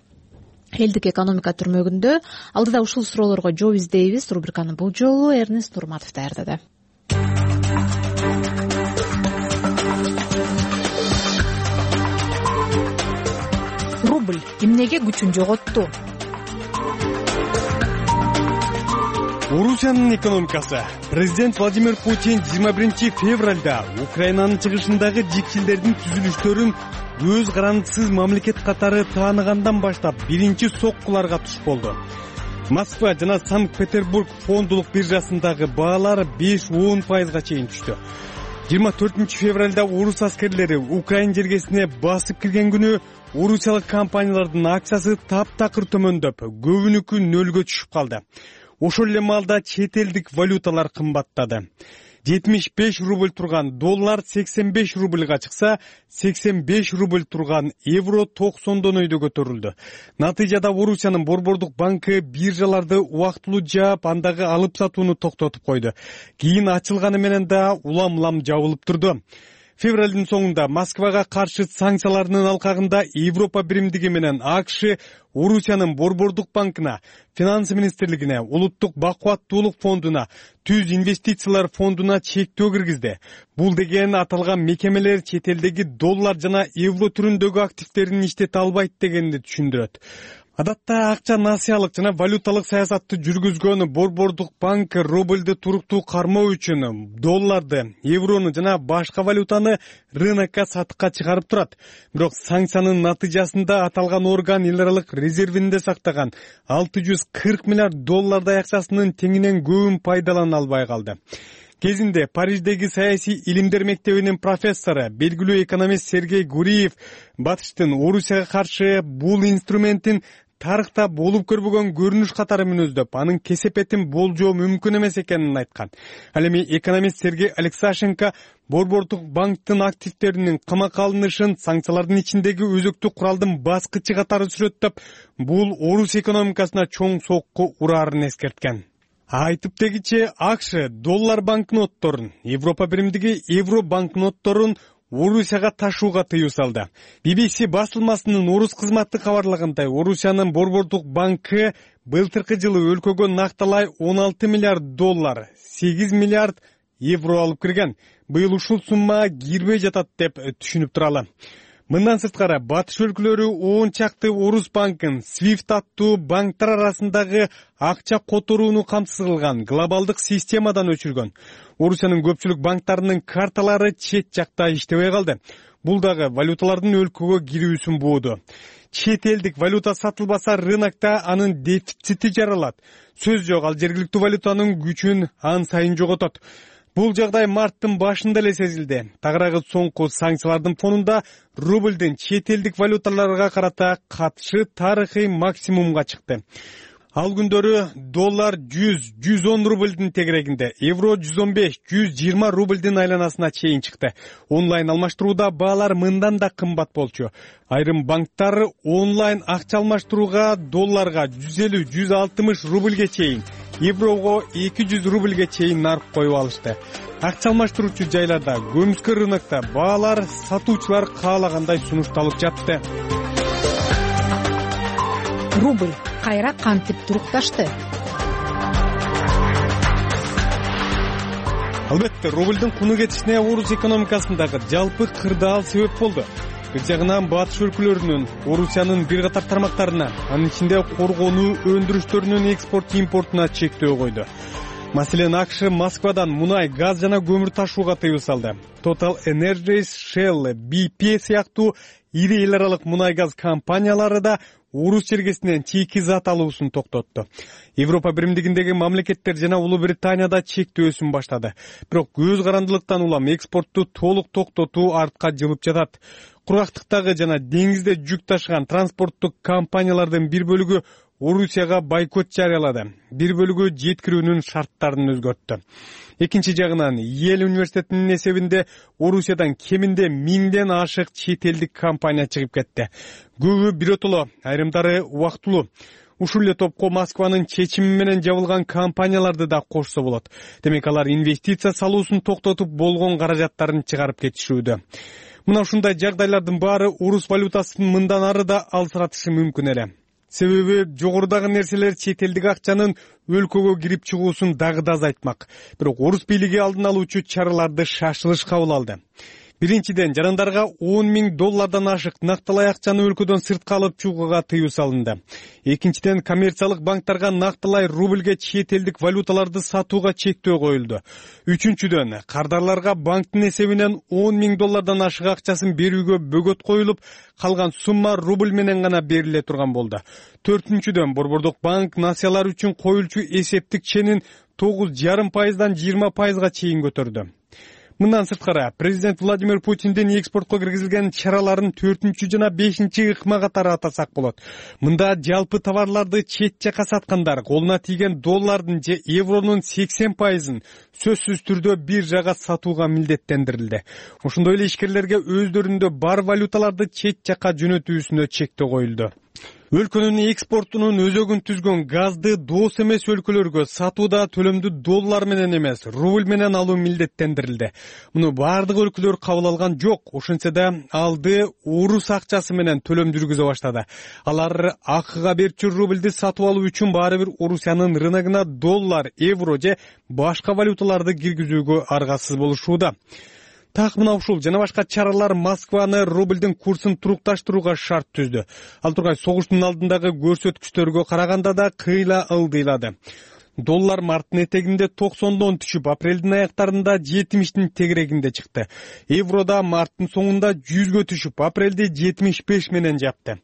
Элдик экономика түрмөгүндө алдыда ушул суроолорго жооп издейбиз. Рубриканы бул жолу Эрнест Турматов даярдады. Рубль эмнеге күчүн жоготту? Орусиянын экономикасы. Президент Владимир Путин жыйырма биринчи февралда Украинанын чыгышындагы жикчилдердин түзүлүштөрүн өз гарантысыз мамлекет катары тааныгандан баштап биринчи соккуларга туш болду. Москва жана Санкт-Петербург фондулук биржасындагы баалар беш он пайызга чейин түштү. жыйырма төртүнчү февралда орус аскерлери Украин жергесине басып кирген күнү орусиялык компаниялардын акциясы таптакыр төмөндөп, көбүнүкү нөлгө түшүп калды. Ошол эле маалда чет элдик валюталар кымбаттады. жетимиш беш рубль турган доллар сексен беш рубльга чыкса, сексен беш рубль турган евро токсондон өйдө көтөрүлдү. Натыйжада Орусиянын Борбордук банкы биржаларды убактылуу жаап, андагы алып сатууну токтотуп койду. Кийин ачылганы менен да улам-улам жабылып турду. Февралдын соңунда Москвага каршы санкциялардын алкагында Европа биримдиги менен АКШ Орусиянын Борбордук банкына, Финансы министрлигине, Улуттук бакубаттуулук фондуна, Түз инвестициялар фондуна чектөө киргизди. Бул деген аталган мекемелер чет элдеги доллар жана евро түрүндөгү активдерин иштете албайт дегенди түшүндүрөт. Адатта акча насыялык жана валюталык саясатты жүргүзгөн Борбордук банк рубльди туруктуу кармоо үчүн долларды, еврону жана башка валютаны рынокко сатыкка чыгарып турат. Бирок санкциянын натыйжасында аталган орган эл аралык резервинде сактаган алты жүз кырк миллиард доллардай акчасынын теңинен көбүн пайдалана албай калды. Кезинде Париждеги саясий илимдер мектебинин профессору, белгилүү экономист Сергей Гуриев батыштын Орусияга каршы бул инструментин тарыхта болуп көрбөгөн көрүнүш катары мүнөздөп, анын кесепетин болжоо мүмкүн эмес экенин айткан. Ал эми экономист Сергей Алексашенко Борбордук банктын активдеринин камакка алынышын санкциялардын ичиндеги өзөктүү куралдын баскычы катары сүрөттөп, бул Орус экономикасына чоң сокку ураарын эскерткен. Айтып дегиче АКШ доллар банкнотторун, Европа биримдиги евро банкнотторун Орусияга ташууга тыюу салды. би би си басылмасынын орус кызматы кабарлагандай, Орусиянын Борбордук банкы былтыркы жылы өлкөгө накталай он алты миллиард доллар, сегиз миллиард евро алып кирген. Быйыл ушул сумма кирбей жатат деп түшүнүп туралы. Мындан сырткары батыш өлкөлөрү он чакты орус банкын свифт аттуу банктар арасындагы акча которууну камсыз кылган глобалдык системадан өчүргөн. Орусиянын көпчүлүк банктарынын карталары чет жакта иштебей калды. Бул дагы валюталардын өлкөгө кирүүсүн бууду. Чет элдик валюта сатылбаса рынокто анын дефицити жаралат. Сөз жок, ал жергиликтүү валютанын күчүн ан сайын жоготот. Бул жагдай марттын башында эле сезилди. Тагыраагы соңку санкциялардын фонунда рубльдин чет элдик валюталарга карата катышы тарыхый максимумга чыкты. Ал күндөрү доллар жүз жүз он рубльдин тегерегинде, евро жүз он беш жүз жыйырма рубльдин айланасына чейин чыкты. Онлайн алмаштырууда баалар мындан да кымбат болчу. Айрым банктар онлайн акча алмаштырууга долларга жүз элүү жүз алтымыш рубльге чейин, еврого эки жүз рубльге чейин нарк коюп алышты. Акча алмаштыруучу жайларда, көмүскө рынокто баалар сатуучулар каалагандай сунушталып жатты. Рубль кайра кантип турукташты? Албетте, рубльдин куну кетишине орус экономикасындагы жалпы кырдаал себеп болду. бир жагынан батыш өлкөлөрүнүн Орусиянын бир катар тармактарына, анын ичинде коргонуу өндүрүштөрүнүн экспорт импортуна чектөө койду. Маселен, АКШ Москвадан мунай, газ жана көмүр ташууга тыюу салды. Total Energies, Shell, би пи сыяктуу ири эл аралык мунай газ компаниялары да Орус чергесинен чийки зат алуусун токтотту. Европа биримдигиндеги мамлекеттер жана Улуу Британияда чектөөсүн баштады. Бирок көз карандылыктан улам экспортту толук токтотуу артка жылып жатат. Кургактыктагы жана деңизде жүк ташыган транспорттук компаниялардын бир бөлүгү Орусияга бойкот жарыялады. Бир бөлүгү жеткирүүнүн шарттарын өзгөрттү. Экинчи жагынан, Йел университетинин эсебинде Орусиядан кеминде миңден ашык чет элдик компания чыгып кетти. Көбү биротоло, айрымдары убактылуу. Ушул эле топко Москванын чечими менен жабылган компанияларды да кошсо болот. Демек, алар инвестиция салуусун токтотуп болгон каражаттарын чыгарып кетишүүдө. Мына ушундай жагдайлардын баары орус валютасын мындан ары да алсыратышы мүмкүн эле. Себеби жогорудагы нерселер чет элдик акчанын өлкөгө кирип чыгуусун дагы да азайтмак. Бирок орус бийлиги алдын алуучу чараларды шашылыш кабыл алды. Биринчиден, жарандарга он миң доллардан ашык нактылай акчаны өлкөдөн сыртка алып чыгууга тыюу салынды. Экинчиден, коммерциялык банктарга нактылай рубльге чет элдик валюталарды сатууга чектөө коюлду. Үчүнчүдөн, кардарларга банктын эсебинен он миң доллардан ашык акчасын берүүгө бөгөт коюлуп, калган сумма рубль менен гана бериле турган болду. Төртүнчүдөн, Борбордук банк насыялар үчүн коюлчу эсептик ченин тогуз жарым пайыздан жыйырма пайызга чейин көтөрдү. Мындан сырткары, президент Владимир Путиндин экспортко киргизилген чараларын төртүнчү жана бешинчи ыкма катары атасак болот. Мында жалпы товарларды чет жака саткандар колуна тийген доллардын же евронун сексен пайызын сөзсүз түрдө бир жага сатууга милдеттендирилди. Ошондой эле ишкерлерге өздөрүндө бар валюталарды чет жака жөнөтүүсүнө чектөө коюлду. Өлкөнүн экспортунун өзөгүн түзгөн газды дос эмес өлкөлөргө сатууда төлөмдү доллар менен эмес, рубль менен алуу милдеттендирилди. Муну бардык өлкөлөр кабыл алган жок, ошентсе да алды орус акчасы менен төлөм жүргүзө баштады. Алар акыга берчү рубльди сатып алуу үчүн баары бир Орусиянын рыногуна доллар, евро же башка валюталарды киргизүүгө аргасыз болушууда. Так мына ушул жана башка чаралар Москваны рубльдин курсун турукташтырууга шарт түздү. Ал тургай согуштун алдындагы көрсөткүчтөргө караганда да кыйла ылдыйлады. Доллар марттын этегинде токсондон түшүп, апрелдин аяктарында жетимиштин тегерегинде чыкты. Евро да марттын соңунда жүзгө түшүп, апрелди жетимиш беш менен жапты.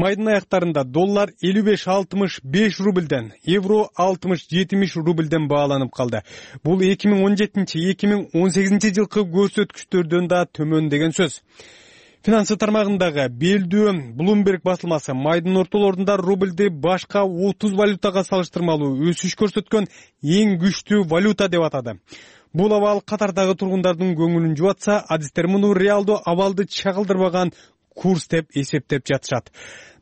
Майдын аяктарында доллар элүү беш алтымыш беш рубльден, евро алтымыш жетимиш рубльден бааланып калды. Бул эки миң он жетинчи — эки миң он сегизинчи жылкы көрсөткүчтөрдөн да төмөн деген сөз. Финансы тармагындагы белдүү Bloomberg басылмасы майдын ортолорунда рубльди башка отуз валютага салыштырмалуу өсүш көрсөткөн эң күчтүү валюта деп атады. Бул абал катардагы тургундардын көңүлүн жубатса, адистер муну реалдуу абалды чагылдырбаган курс деп эсептеп жатышат.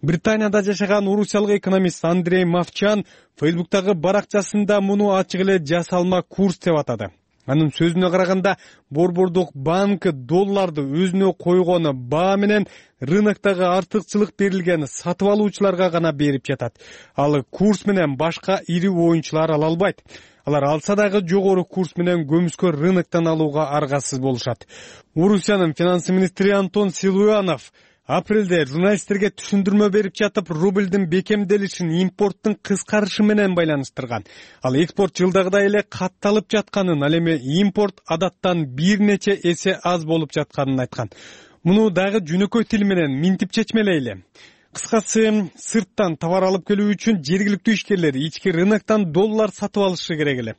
Британияда жашаган орусиялык экономист Андрей Мовчан Фейсбуктагы баракчасында муну ачык эле жасалма курс деп атады. Анын сөзүнө караганда, Борбордук банк долларды өзүнө койгону баа менен рыноктогу артыкчылык берилген сатып алуучуларга гана берип жатат. Ал курс менен башка ири оюнчулар ала албайт. Алар алса дагы жогору курс менен көмүскө рыноктон алууга аргасыз болушат. Орусиянын финансы министри Антон Силуянов апрелде журналисттерге түшүндүрмө берип жатып, рубльдин бекемделишин импорттун кыскарышы менен байланыштырган. Ал экспорт жылдагыдай эле катталып жатканын, ал эми импорт адаттан бир нече эсе аз болуп жатканын айткан. Муну дагы жөнөкөй тил менен минтип чечмелейли. Кыскасы, сырттан товар алып келүү үчүн жергиликтүү ишкерлер ички рыноктон доллар сатып алышы керек эле.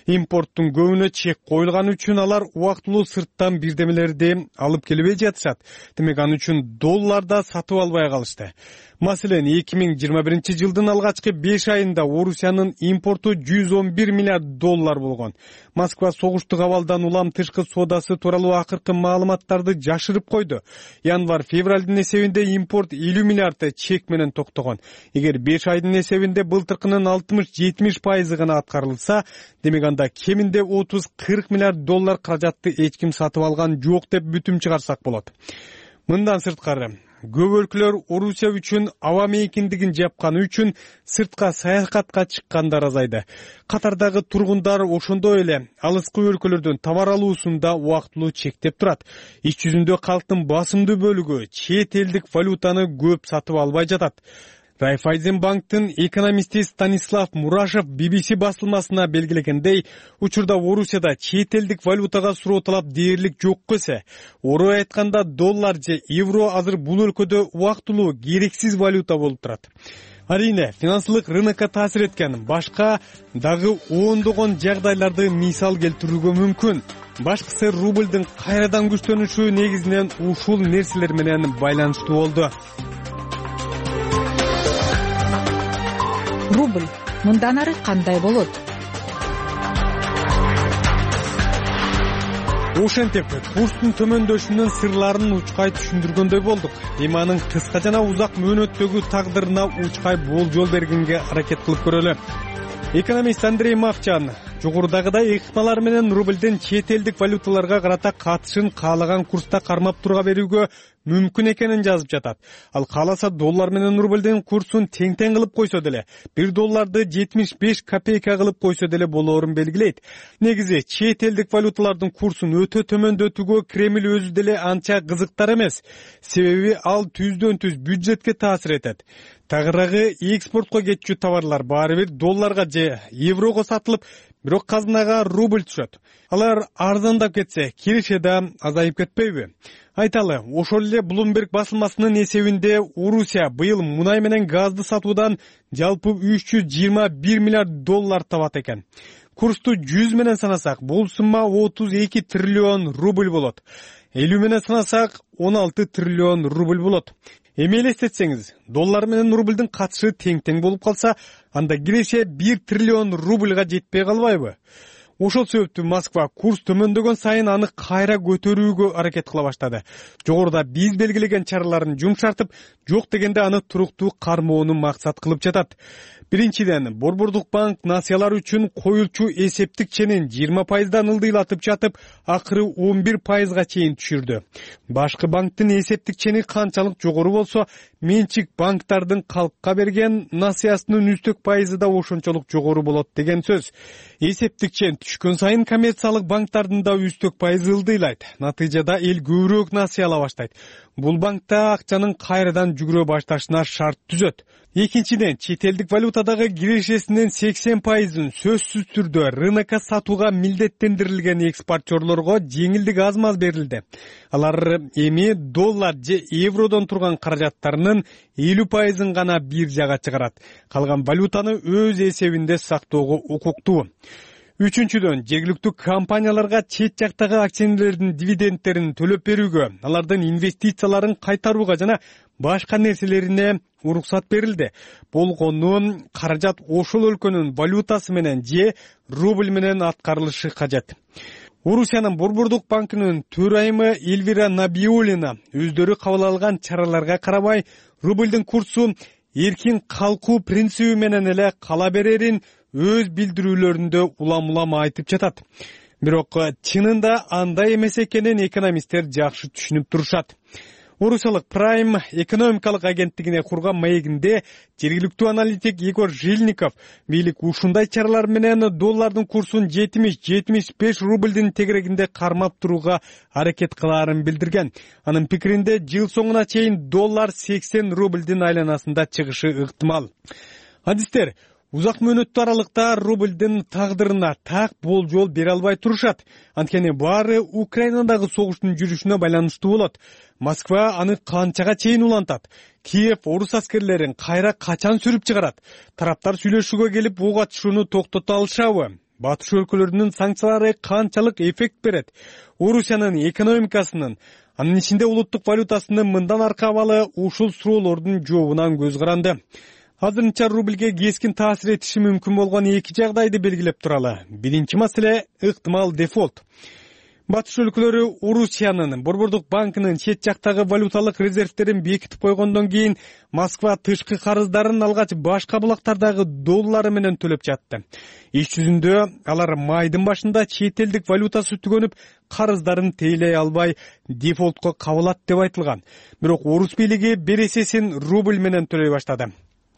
Импорттун көбүнө чек коюлган үчүн алар убактылуу сырттан бирдемелерди алып келбей жатышат. Демек, аны үчүн долларда сатып албай калышты. Маселен, эки миң жыйырма биринчи жылдын алгачкы беш айында Орусиянын импорту жүз он бир миллиард доллар болгон. Москва согуштук абалдан улам тышкы соодасы тууралуу акыркы маалыматтарды жашырып койду. Январь-февралдын эсебинде импорт элүү миллиард чек менен токтогон. Эгер беш айдын эсебинде былтыркынын алтымыш жетимиш пайызы гана аткарылса, демек анда кеминде отуз кырк миллиард доллар каражатты эч ким сатып алган жок деп бүтүм чыгарсак болот. Мындан сырткары, көп өлкөлөр Орусия үчүн аба мейкиндигин жапканы үчүн сыртка саякатка чыккандар азайды. Катардагы тургундар ошондой эле алыскы өлкөлөрдөн товар алуусунда убактылуу чектеп турат. Иш жүзүндө калктын басымдуу бөлүгү чет элдик валютаны көп сатып албай жатат. Райфайзенбанктын экономисти Станислав Мурашев би би си басылмасына белгилегендей, учурда Орусияда чет элдик валютага суроо талап дээрлик жок эсе. Орой айтканда доллар же евро азыр бул өлкөдө убактылуу керексиз валюта болуп турат. Арийне, финансылык рынокко таасир эткен башка дагы ондогон жагдайларды мисал келтирүүгө мүмкүн. Башкысы рубльдин кайрадан күчтөнүшү негизинен ушул нерселер менен байланыштуу болду. Рубль мындан ары кандай болот? Ошентип, курстун төмөндөшүнүн сырларын учкай түшүндүргөндөй болдук. Эми анын кыска жана узак мөөнөттөгү тагдырына учкай болжол бергенге аракет кылып көрөлү. Экономист Андрей Мовчан жогорудагыдай ыкмалар менен рубльдин чет элдик валюталарга карата катышын каалаган курста кармап турга берүүгө мүмкүн экенин жазып жатат. Ал кааласа доллар менен рубльдин курсун тең-тең кылып койсо деле, бир долларды жетимиш беш копейка кылып койсо деле болоорун белгилейт. Негизи чет элдик валюталардын курсун өтө төмөндөтүүгө Кремль өзү деле анча кызыктар эмес. Себеби ал түздөн түз бюджетке таасир этет. Тагыраагы экспортко кетчү товарлар баары бир долларга же еврого сатылып, бирок казынага рубль түшөт. Алар арзандап кетсе, киреше да азайып кетпейби? Айталы, ошол эле Bloomberg басылмасынын эсебинде Орусия быйыл мунай менен газды сатуудан жалпы үч жүз жыйырма бир миллиард доллар табат экен. Курсту жүз менен санасак, бул сумма отуз эки триллион рубль болот. элүү менен санасак, он алты триллион рубль болот. Эми элестетсеңиз, доллар менен рубльдин катышы тең-тең болуп калса, анда киреше бир триллион рубльга жетпей калбайбы? Ошол себептүү Москва курс төмөндөгөн сайын аны кайра көтөрүүгө аракет кыла баштады. Жогоруда биз белгилеген чараларын жумшартып, жок дегенде аны туруктуу кармоону максат кылып жатат. Биринчиден, Борбордук банк насыялар үчүн коюлчу эсептик ченин жыйырма пайыздан ылдыйлатып жатып, акыры он бир пайызга чейин түшүрдү. Башкы банктын эсептик чени канчалык жогору болсо, менчик банктардын калкка берген насыясынын үстөк пайызы да ошончолук жогору болот деген сөз. Эсептик чен түшкөн сайын коммерциялык банктардын да үстөк пайызы ылдыйлайт. Натыйжада эл көбүрөөк насыя ала баштайт. Бул банкта акчанын кайрадан жүгүрө башташына шарт түзөт. Экинчиден, чет элдик валютадагы кирешесинин сексен пайызын сөзсүз түрдө рынокко сатууга милдеттендирилген экспортерлорго жеңилдик аз-маз берилди. Алар эми доллар же евродон турган каражаттарынын элүү пайызын гана бир жага чыгарат. Калган валютаны өз эсебинде сактоого укуктуу. Үчүнчүдөн, жергиликтүү компанияларга чет жактагы акционерлердин дивидендтерин төлөп берүүгө, алардын инвестицияларын кайтарууга жана башка нерселерине уруксат берилди. Болгону каражат ошол өлкөнүн валютасы менен же рубль менен аткарылышы кажет. Орусиянын Борбордук банкынын төрайымы Эльвира Набиуллина өздөрү кабыл алган чараларга карабай, рубльдин курсу эркин калкуу принциби менен эле кала берерин өз билдирүүлөрүндө улам-улам айтып жатат. Бирок чынында андай эмес экенин экономисттер жакшы түшүнүп турушат. Орусиялык Prime экономикалык агенттигине курган маегинде жергиликтүү аналитик Егор Жильников бийлик ушундай чаралар менен доллардын курсун жетимиш жетимиш беш рубльдин тегерегинде кармап турууга аракет кылаарын билдирген. Анын пикиринде жыл соңуна чейин доллар сексен рубльдин айланасында чыгышы ыктымал. Адистер узак мөөнөттүү аралыкта рубльдин тагдырына так болжол бере албай турушат. Анткени баары Украинадагы согуштун жүрүшүнө байланыштуу болот. Москва аны канчага чейин улантат? Киев орус аскерлерин кайра качан сүрүп чыгарат? Тараптар сүйлөшүүгө келип ок атышууну токтото алышабы? Батыш өлкөлөрүнүн санкциялары канчалык эффект берет? Орусиянын экономикасынын, анын ичинде улуттук валютасынын мындан аркы абалы ушул суроолордун жообунан көз каранды. Азырынча рубльге кескин таасир этиши мүмкүн болгон эки жагдайды белгилеп туралы. Биринчи маселе — ыктымал дефолт. Батыш өлкөлөрү Орусиянын Борбордук банкынын чет жактагы валюталык резервтерин бекитип койгондон кийин Москва тышкы карыздарын алгач башка булактардагы доллары менен төлөп жатты. Иш жүзүндө алар майдын башында чет элдик валютасы түгөнүп, карыздарын тейлей албай дефолтко кабылат деп айтылган. Бирок орус бийлиги бересесин рубль менен төлөй баштады.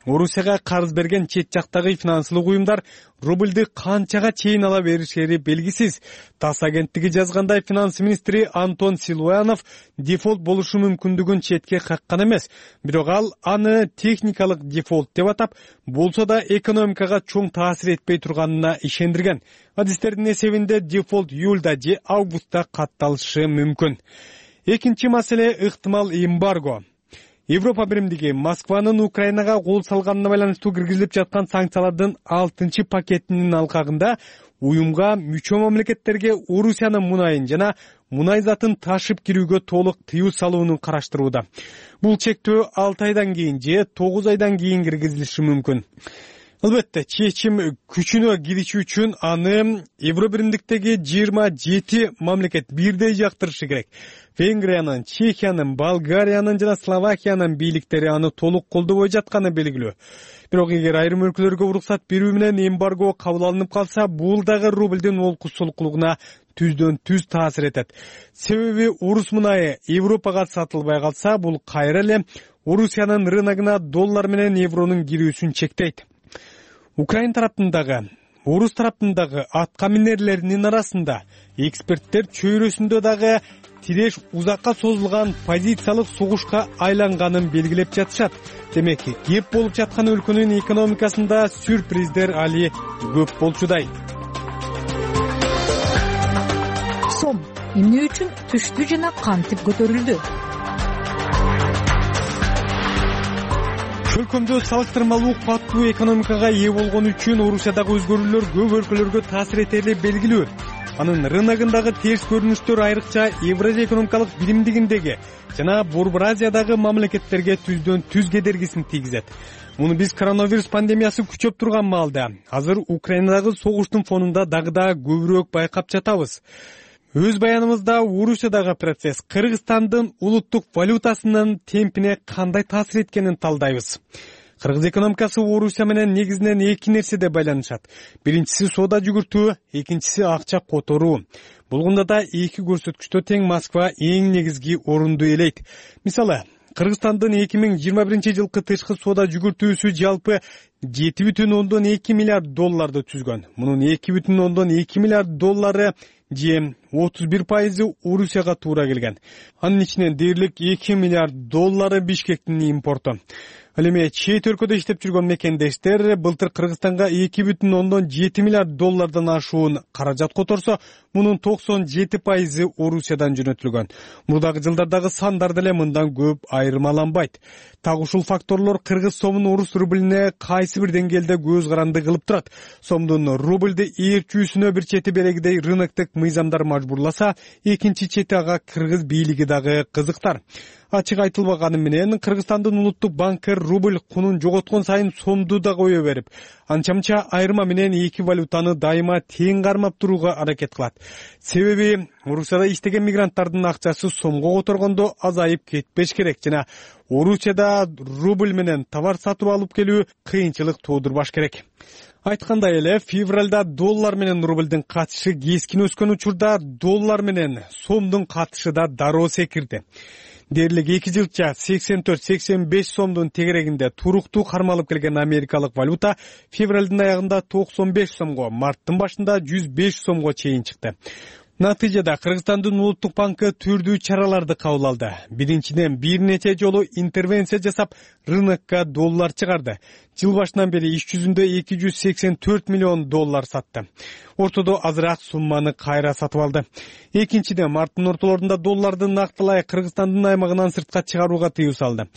Орусияга карыз берген чет жактагы финансылык уюмдар рубльды канчага чейин ала беришери белгисиз. ТАСС агенттиги жазгандай, финанс министри Антон Силуянов дефолт болушу мүмкүндүгүн четке каккан эмес. Бирок ал аны техникалык дефолт деп атап, болсо да экономикага чоң таасир этпей турганына ишендирген. Адистердин эсебинде дефолт июлда же августта катталышы мүмкүн. Экинчи маселе ыктымал эмбарго. Европа биримдиги Москванын Украинага кол салганына байланыштуу киргизилип жаткан санкциялардын алтынчы пакетинин алкагында уюмга мүчө мамлекеттерге Орусиянын мунайын жана мунай затын ташып кирүүгө толук тыюу салууну караштырууда. Бул чектөө алты айдан кийин же тогуз айдан кийин киргизилиши мүмкүн. Албетте, чечим күчүнө кириши үчүн аны Евро биримдиктеги жыйырма жети мамлекет бирдей жактырышы керек. Венгриянын, Чехиянын, Болгариянын жана Словакиянын бийликтери аны толук колдобой жатканы белгилүү. Бирок эгер айрым өлкөлөргө уруксат берүү менен эмбарго кабыл алынып калса, бул дагы рубльдин олкусулуклугуна түздөн түз таасир этет. Себеби орус мунайы Европага сатылбай калса, бул кайра эле Орусиянын рыногуна доллар менен евронун кирүүсүн чектейт. Украин тараптындагы, орус тараптындагы атка минерлеринин арасында эксперттер чөйрөсүндө дагы тиреш узакка созулган позициялык согушка айланганын белгилеп жатышат. Демек, кеп болуп жаткан өлкөнүн экономикасында сюрприздер али көп болчудай. Сом эмне үчүн түштү жана кантип көтөрүлдү? Өлкөмдө салыштырмалуу кубаттуу экономикага ээ болгон үчүн Орусиядагы өзгөрүүлөр көп өлкөлөргө таасир этери белгилүү. Анын рыногундагы терс көрүнүштөр айрыкча Евразия экономикалык биримдигиндеги жана Борбор Азиядагы мамлекеттерге түздөн түз кедергисин тийгизет. Муну биз коронавирус пандемиясы күчөп турган маалда, азыр Украинадагы согуштун фонунда дагы да көбүрөөк байкап жатабыз. Өз баяныбызда Орусиядагы процесс Кыргызстандын улуттук валютасынын темпине кандай таасир эткенин талдайбыз. Кыргыз экономикасы Орусия менен негизинен эки нерседе байланышат. Биринчиси соода жүгүртүү, экинчиси акча которуу. Болгондо да эки көрсөткүчтө тең Москва эң негизги орунду ээлейт. Мисалы, Кыргызстандын эки миң жыйырма биринчи жылкы тышкы соода жүгүртүүсү жалпы жети бүтүн ондон эки миллиард долларды түзгөн. Мунун эки бүтүн ондон эки миллиард доллары же отуз бир пайызы Орусияга туура келген. Анын ичинен дээрлик эки миллиард доллары Бишкектин импорту. Ал эми чет өлкөдө иштеп жүргөн мекендештер былтыр Кыргызстанга эки бүтүн ондон жети миллиард доллардан ашуун каражат которсо, мунун токсон жети пайызы Орусиядан жөнөтүлгөн. Мурдагы жылдардагы сандар деле мындан көп айырмаланбайт. Так ушул факторлор кыргыз сомун орус рублине кайсы бир деңгээлде көз каранды кылып турат. Сомдун рубльды ээрчүүсүнө бир чети берегидей рыноктук мыйзамдар мажбурласа, экинчи чети ага кыргыз бийлиги дагы кызыктар. Ачык айтылбаганы менен Кыргызстандын улуттук банкы рубль кунун жоготкон сайын сомду да кое берип, анча-мынча айырма менен эки валютаны дайыма тең кармап турууга аракет кылат. Себеби Орусияда иштеген мигранттардын акчасы сомго которгондо азайып кетпеш керек жана Орусияда рубль менен товар сатып алып келүү кыйынчылык туудурбаш керек. Айткандай эле, февралда доллар менен рубльдин катышы кескин өскөн учурда доллар менен сомдун катышы да дароо секирди. Дээрлик эки жылча сексен төрт сексен беш сомдун тегерегинде туруктуу кармалып келген америкалык валюта февралдын аягында токсон беш сомго, марттын башында жүз беш сомго чейин чыкты. Натыйжада Кыргызстандын улуттук банкы түрдүү чараларды кабыл алды. Биринчиден, бир нече жолу интервенция жасап, рынокко доллар чыгарды. Жыл башынан бери иш жүзүндө эки жүз сексен төрт миллион доллар сатты. Ортодо азыраак сумманы кайра сатып алды. Экинчиден, марттын ортолорунда долларды нактылай Кыргызстандын аймагынан сыртка чыгарууга тыюу салды.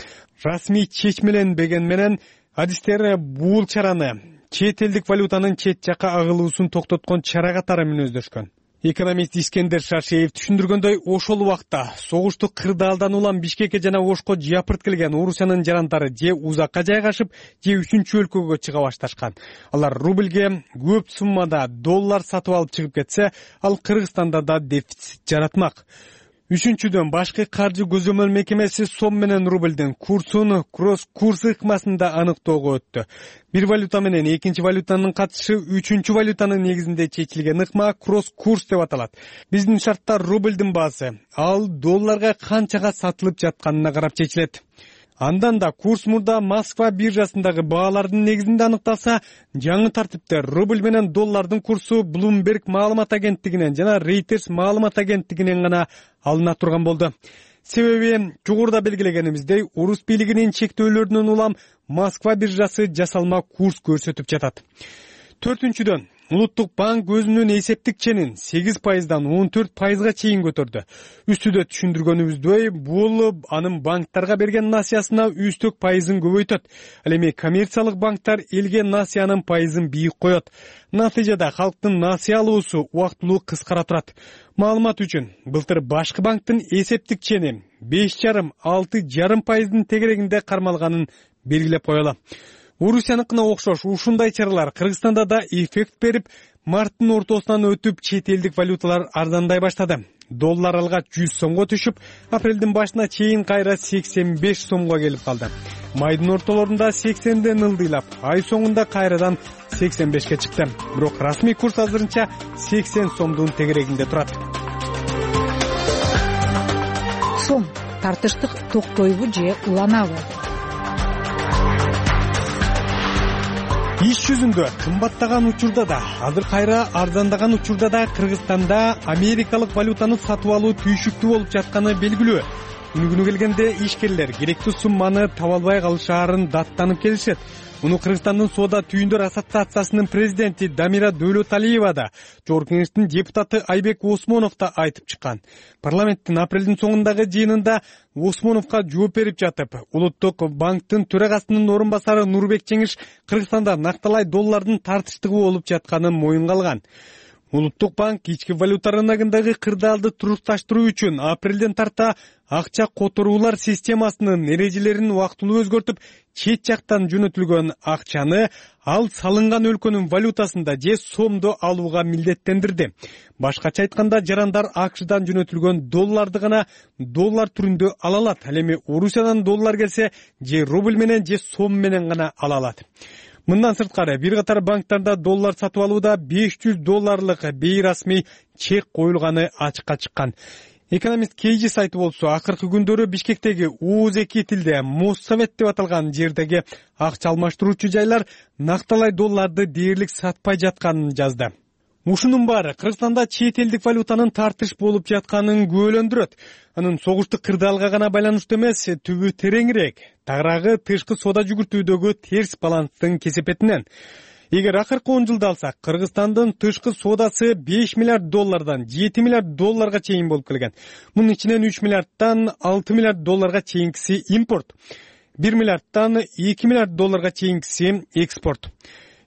Расмий чечмеленбеген менен адистер бул чараны чет элдик валютанын чет жакка агылуусун токтоткон чара катары мүнөздөшкөн. Экономист Искендер Шашеев түшүндүргөндөй, ошол убакта согушту кырдаалдан улам Бишкекке жана Ошко жапырт келген Орусиянын жарандары же узакка жайгашып, же үчүнчү өлкөгө чыга башташкан. Алар рубльге көп суммада доллар сатып алып чыгып кетсе, ал Кыргызстанда да дефицит жаратмак. Үчүнчүдөн, башкы каржы көзөмөл мекемеси сом менен рубльдин курсун кросс-курс ыкмасында аныктоого өттү. Бир валюта менен экинчи валютанын катышы үчүнчү валютанын негизинде чечилген ыкма кросс-курс деп аталат. Биздин шартта рубльдин баасы ал долларга канчага сатылып жатканына карап чечилет. Андан да курс мурда Москва биржасындагы баалардын негизинде аныкталса, жаңы тартипте рубль менен доллардын курсу Bloomberg маалымат агенттигинен жана Reuters маалымат агенттигинен гана алына турган болду. Себеби жогоруда белгилегенибиздей, орус бийлигинин чектөөлөрүнөн улам Москва биржасы жасалма курс көрсөтүп жатат. Төртүнчүдөн, Улуттук банк өзүнүн эсептик ченин сегиз пайыздан он төрт пайызга чейин көтөрдү. Үстүдө түшүндүргөнүбүздөй, бул анын банктарга берген насыясына үстөк пайызын көбөйтөт. Ал эми коммерциялык банктар элге насыянын пайызын бийик коет. Натыйжада халктын насыя алуусу убактылуу кыскара турат. Маалымат үчүн, былтыр башкы банктын эсептик чени беш жарым алты жарым пайыздын тегерегинде кармалганын белгилеп коелу. Орусияныкына окшош ушундай чаралар Кыргызстанда да эффект берип, марттын ортосунан өтүп чет элдик валюталар арзандай баштады. Доллар алгач жүз сомго түшүп, апрелдин башына чейин кайра сексен беш сомго келип калды. Майдын ортолорунда сексенден ылдыйлап, ай соңунда кайрадан сексен бешке чыкты. Бирок расмий курс азырынча сексен сомдун тегерегинде турат. Сом тартыштык токтойбу же уланабы? Иш жүзүндө кымбаттаган учурда да, азыр кайра арзандаган учурда да Кыргызстанда америкалык валютаны сатып алуу түйшүктүү болуп жатканы белгилүү. Күнү келгенде ишкерлер керектүү сумманы таба албай калышаарын даттанып келишет. Муну Кыргызстандын соода түйүндөр ассоциациясынын президенти Дамира Дөөлөталиева да, Жогорку Кеңештин депутаты Айбек Осмонов да айтып чыккан. Парламенттин апрелдин соңундагы жыйынында Осмоновго жооп берип жатып, Улуттук банктын төрагасынын орун басары Нурбек Жеңиш Кыргызстанда накталай доллардын тартыштыгы болуп жатканын моюнга алган. Улуттук банк ички валюта рыногундагы кырдаалды турукташтыруу үчүн апрелден тарта акча которуулар системасынын эрежелерин убактылуу өзгөртүп, чет жактан жөнөтүлгөн акчаны ал салынган өлкөнүн валютасында же сомдо алууга милдеттендирди. Башкача айтканда, жарандар АКШдан жөнөтүлгөн долларды гана доллар түрүндө ала алат. Ал эми Орусиядан доллар келсе, же рубль менен же сом менен гана ала алат. Мындан сырткары, бир катар банктарда доллар сатып алууда беш жүз долларлык бейрасмий чек коюлганы ачыкка чыккан. Экономист Кейжи сайты болсо, акыркы күндөрү Бишкектеги ооз эки тилде Моссовет деп аталган жердеги акча алмаштыруучу жайлар накталай долларды дээрлик сатпай жатканын жазды. Ушунун баары Кыргызстанда чет элдик валютанын тартыш болуп жатканын күбөлөндүрөт. Анын согуштук кырдаалга гана байланыштуу эмес, түбү тереңирээк, тагыраагы тышкы соода жүгүртүүдөгү терс баланстын кесепетинен. Эгер акыркы он жылды алсак, Кыргызстандын тышкы соодасы беш миллиард доллардан жети миллиард долларга чейин болуп келген. Мунун ичинен үч миллиардтан алты миллиард долларга чейинкиси импорт, бир миллиардтан эки миллиард долларга чейинкиси экспорт.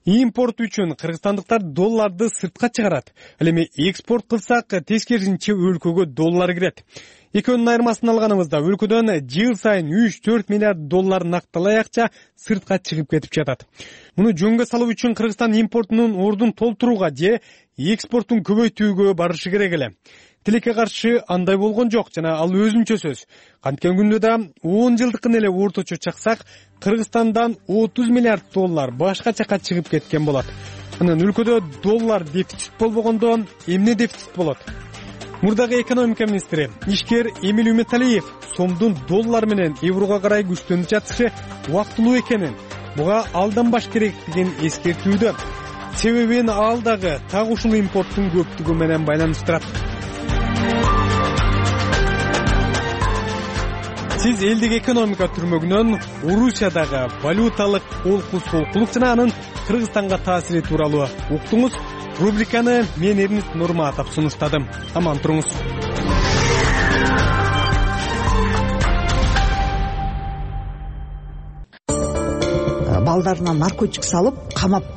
Импорт үчүн кыргызстандыктар долларды сыртка чыгарат. Ал эми экспорт кылсак, тескерисинче өлкөгө доллар кирет. Экөөнүн айырмасын алганыбызда өлкөдөн жыл сайын үч төрт миллиард доллар накталай акча сыртка чыгып кетип жатат. Муну жөнгө салуу үчүн Кыргызстан импортунун ордун толтурууга же экспортун көбөйтүүгө барышы керек эле. Тилекке каршы андай болгон жок жана ал өзүнчө сөз. Канткен күндө да он жылдыкын эле орточо чаксак, Кыргызстандан отуз миллиард доллар башка жака чыгып кеткен болот. Анан өлкөдө доллар дефицит болбогондо эмне дефицит болот? Мурдагы экономика министри ишкер Эмиль Үмөталиев сомдун доллар менен еврого карай күчтөнүп жатышы убактылуу экенин, буга алданбаш керектигин эскертүүдө. Себебин ал дагы так ушул импорттун көптүгү менен байланыштырат. Сиз элдик экономика түрмөгүнөн Орусиядагы валюталык олку-солкулук жана анын Кыргызстанга таасири тууралуу уктуңуз. Рубриканы мен Эрнист Нурматов сунуштадым. Аман туруңуз. Балдарына наркотик салып, камап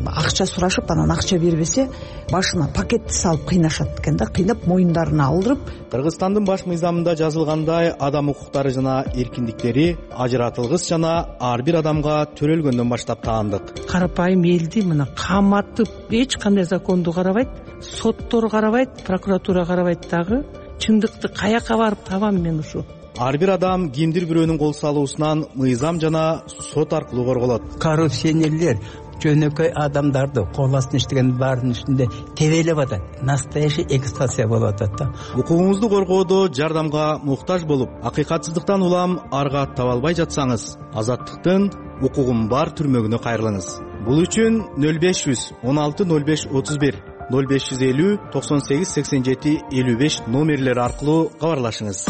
акча сурашып анан акча бербесе башына пакетти салып кыйнашат экен да, кыйнап моюндарына алдырып. Кыргызстандын баш мыйзамында жазылгандай адам укуктары жана эркиндиктери ажыратылгыс жана ар бир адамга төрөлгөндөн баштап таандык. Карапайым элди мына каматып эч кандай законду карабайт, соттор карабайт, прокуратура карабайт дагы. Чындыкты каяка барып табам мен ушу? Ар бир адам кимдир бирөөнүн кол салуусунан мыйзам жана сот аркылуу корголот. Коррупционерлер жөнөкөй адамдарды кол астына иштеген баарынын үстүндө тебелеп атат. Настоящий эксплуатация болуп атат да. Укугуңузду коргоодо жардамга муктаж болуп, акыйкатсыздыктан улам арга таба албай жатсаңыз, Азаттыктын укугум бар түрмөгүнө кайрылыңыз. Бул үчүн нөл беш жүз он алты нөл беш отуз бир, нөл беш жүз элүү токсон сегиз сексен жети элүү беш номерлери аркылуу кабарлашыңыз.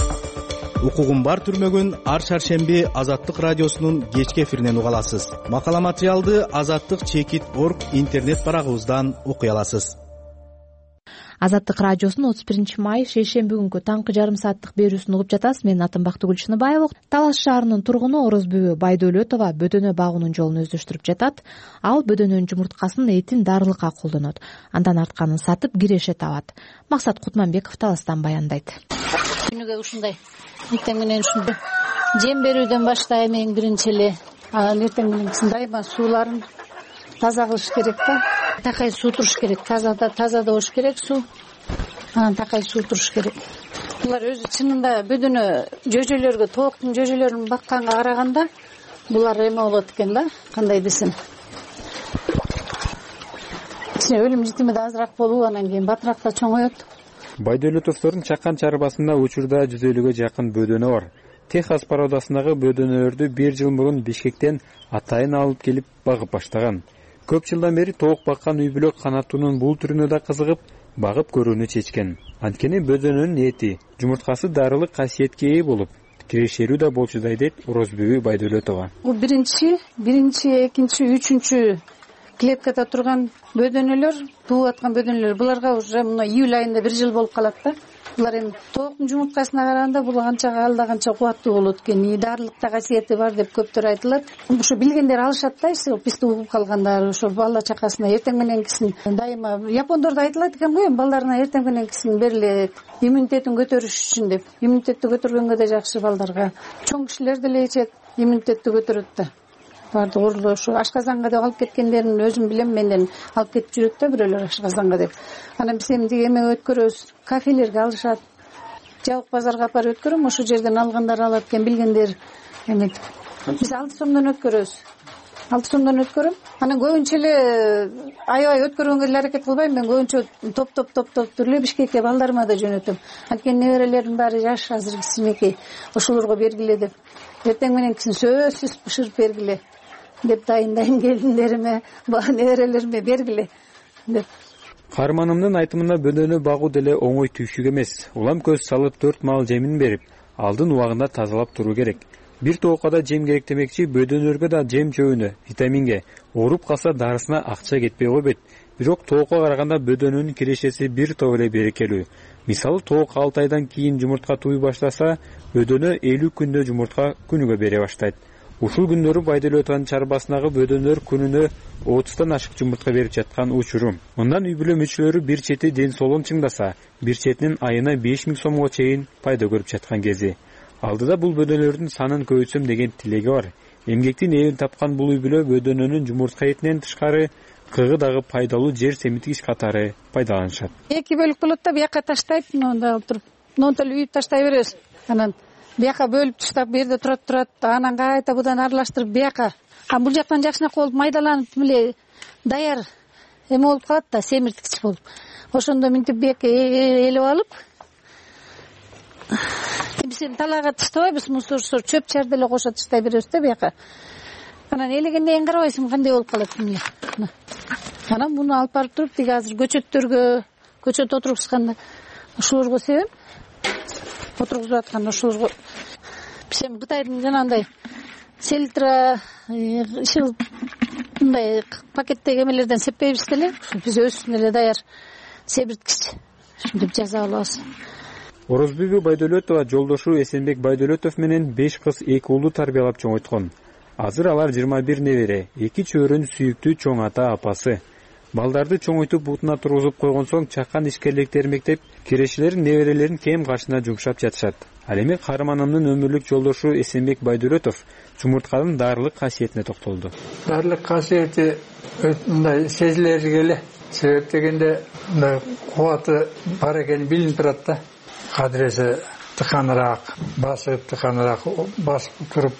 Укугум бар түрмөгүн ар шаршемби Азаттык радиосунун кечки эфиринен уга аласыз. Макала материалды азаттык чекит точка орг интернет барагыбыздан окуй аласыз. Азаттык радиосунун отуз биринчи май шейшемби күнкү таңкы жарым сааттык берүүсүн угуп жатасыз. Менин атым Бактыгүл Чыныбаева. Талаш шаарынын тургуну Орозбүбү Байдөлөтова бөдөнө багуунун жолун өздөштүрүп жатат. Ал бөдөнөнүн жумурткасын этин дарылыкка колдонот. Андан артканын сатып киреше табат. Максат Кутманбеков Таластан баяндайт. Күнүгө ушундай эртең менен ушундай жем берүүдөн баштайм эң биринчи эле. Анан эртең менен дайыма сууларын таза кылыш керек да. Такай суу туруш керек. Таза да таза да болуш керек суу. Анан такай суу туруш керек. Булар өзү чынында бөдөнө жөжөлөргө, тооктун жөжөлөрүн бакканга караганда булар эме болот экен да, кандай десем. Ичине өлүм житими да азыраак болуп, анан кийин батыраак да чоңоет. Байдөлөтовдордун чакан чарбасында учурда жүз элүүгө жакын бөдөнө бар. Техас породасындагы бөдөнөлөрдү бир жыл мурун Бишкектен атайын алып келип багып баштаган. Көп жылдан бери тоок баккан үй бүлө канаттуунун бул түрүнө да кызыгып, багып көрүүнү чечкен. Анткени бөдөнөнүн эти, жумурткасы дарылык касиетке ээ болуп, кирешерүү да болчудай дейт Орозбүбү Байдөлөтова. Бул биринчи, биринчи, экинчи, үчүнчү клеткада турган бөдөнөлөр, тууп аткан бөдөнөлөр. Буларга уже мына июль айында бир жыл болуп калат да. Булар эми тооктун жумурткасына караганда бул канча алда канча кубаттуу болот экен, дарылыкта касиети бар деп көптөр айтылат. Ошо билгендер алышат да, бизди угуп калгандар, ошо бала чакасына эртең мененкисин дайыма япондордо айтылат экен го, балдарына эртең мененкисин бериле, иммунитетин көтөрүш үчүн деп. Иммунитетти көтөргөнгө да жакшы балдарга. Чоң кишилер деле ичет, иммунитетти көтөрөт да. Барды орлоо ошо ашказанга деп алып кеткендерин өзүм билем, менден алып кетип жүрөт да бирөөлөр ашказанга деп. Анан биз эмди эме өткөрөбүз, кафелерге алышат. Жабык базарга апарып өткөрөм, ошол жерден алгандар алат экен билгендер эметип. Биз алты сомдон өткөрөбүз. алты сомдон өткөрөм. Анан көбүнчө эле аябай өткөргөнгө эле аракет кылбайм, мен көбүнчө топ-топ топ-топ эле Бишкекке балдарыма да жөнөтөм. Анткени неберелердин баары жаш, азыр кичинекей, ошолорго бергиле деп. Эртең мененкисин сөзсүз бышырып бергиле деп дайындайм келиндериме, неберелериме бергиле деп. Каарманымдын айтымында бөдөнө багуу деле оңой түйшүк эмес. Улам көз салып төрт маал жемин берип, алдын убагында тазалап туруу керек. Бир тоокка да жем керек демекчи, бөдөнөлөргө да жем чөбүнө, витаминге, ооруп калса дарысына акча кетпей койбойт. Бирок тоокко караганда бөдөнөнүн кирешеси бир топ эле берекелүү. Мисалы тоок алты айдан кийин жумуртка тууй баштаса, бөдөнө элүү күндө жумуртка күнүгө бере баштайт. Ушул күндөрү Байдөлөтованын чарбасындагы бөдөнөлөр күнүнө отуздан ашык жумуртка берип жаткан учуру. Мындан үй бүлө мүчөлөрү бир чети ден соолугун чыңдаса, бир четинин айына беш миң сомго чейин пайда көрүп жаткан кези. Алдыда бул бөдөнөлөрдүн санын көбөйтсөм деген тилеги бар. Эмгектин эбин тапкан бул үй бүлө бөдөнөнүн жумуртка этинен тышкары кыгы дагы пайдалуу жер семиткич катары пайдаланышат. Эки бөлүк болот да, бияка таштайт, мында отуруп, монтол үйүп таштай беребиз. Анан бияка бөлүп таштап, бу жерде турат турат, анан кайта будан аралаштырып бияка. А бул жактан жакшынакы болуп майдаланып эле даяр эме болуп калат да, семирткич болуп. Ошондо минтип бияка элеп алып, биз эми талаага таштабайбыз, мусорсор чөп чар деле кошо таштай беребиз да бияка. Анан элегенден кийин карабайсың кандай болуп калат эмне. Анан муну алып барып туруп, тиги азыр көчөттөргө, көчөт отургузганда ошолорго себем. Отургузуп атканда ошолорго биз эми Кытайдын жанагындай селитра, ишил мындай пакеттеги эмелерден сеппейбиз деле, биз өзүбүздүн эле даяр себирткич ушинтип жаза алабыз. Орозбүбү Байдөлөтова жолдошу Эсенбек Байдөлөтов менен беш кыз, эки уулду тарбиялап чоңойткон. Азыр алар жыйырма бир небере, эки чөбөрөнүн сүйүктүү чоң ата апасы. Балдарды чоңойтуп бутуна тургузуп койгон соң чакан ишкерликтер мектеп кирешелерин неберелерин кем кашына жумшап жатышат. Ал эми каарманымдын өмүрлүк жолдошу Эсенбек Байдөлөтов жумуртканын даарылык касиетине токтолду. Даарылык касиети мындай сезилери эле. Себеп дегенде мындай кубаты бар экени билинип турат да. Кадыресе тыканыраак, басы тыканыраак басып туруп,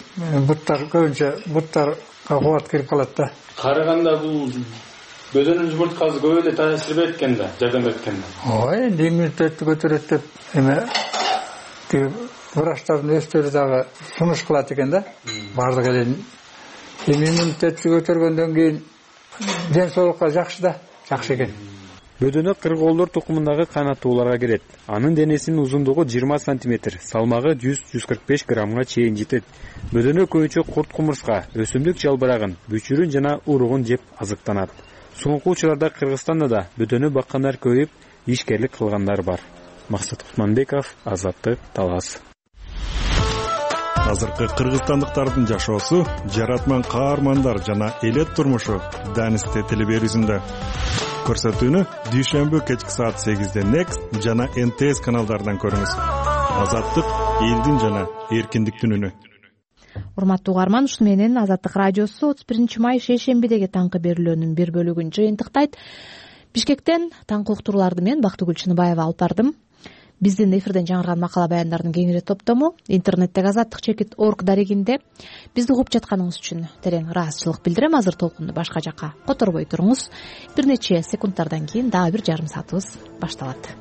буттар көбүнчө буттарга кубат кирип калат да. Караганда бул бөдөнүн жумурткасы көп эле таасир берет экен да, жардам берет экен да. Ой, эми иммунитетти көтөрөт деп эме тиги врачтардын өздөрү дагы сунуш кылат экен да. Бардык эле эми иммунитетти көтөргөндөн кийин ден соолукка жакшы да, жакшы экен. Бөдөнө кыргоолдор тукумундагы канаттууларга кирет. Анын денесинин узундугу жыйырма сантиметр, салмагы жүз жүз кырк беш граммга чейин жетет. Бөдөнө көбүнчө курт кумурска, өсүмдүк жалбырагын, бүчүрүн жана уругун жеп азыктанат. Соңку учурларда Кыргызстанда да бөдөнө баккандар көбөйүп, ишкерлик кылгандар бар. Максат Кутманбеков, Азаттык, Талас. Азыркы кыргызстандыктардын жашоосу, жаратман каармандар жана элет турмушу Данисте телеберүүсүндө. Көрсөтүүнү дүйшөмбү кечки саат сегизде Next жана эн тэ эс каналдарынан көрүңүз. Азаттык элдин жана эркиндиктин үнү. Урматтуу угарман, ушуну менен Азаттык радиосу отуз биринчи май шейшембидеги таңкы берүүлөрүнүн бир бөлүгүн жыйынтыктайт. Бишкектен таңкы уктурууларды мен Бактыгүл Чыныбаева алып бардым. Биздин эфирден жаңырган макала баяндардын кеңири топтому интернеттеги азаттык чекит орг дарегинде. Бизди угуп жатканыңыз үчүн терең ыраазычылык билдирем. Азыр толкунду башка жакка которбой туруңуз. Бир нече секундтардан кийин дагы бир жарым саатыбыз башталат.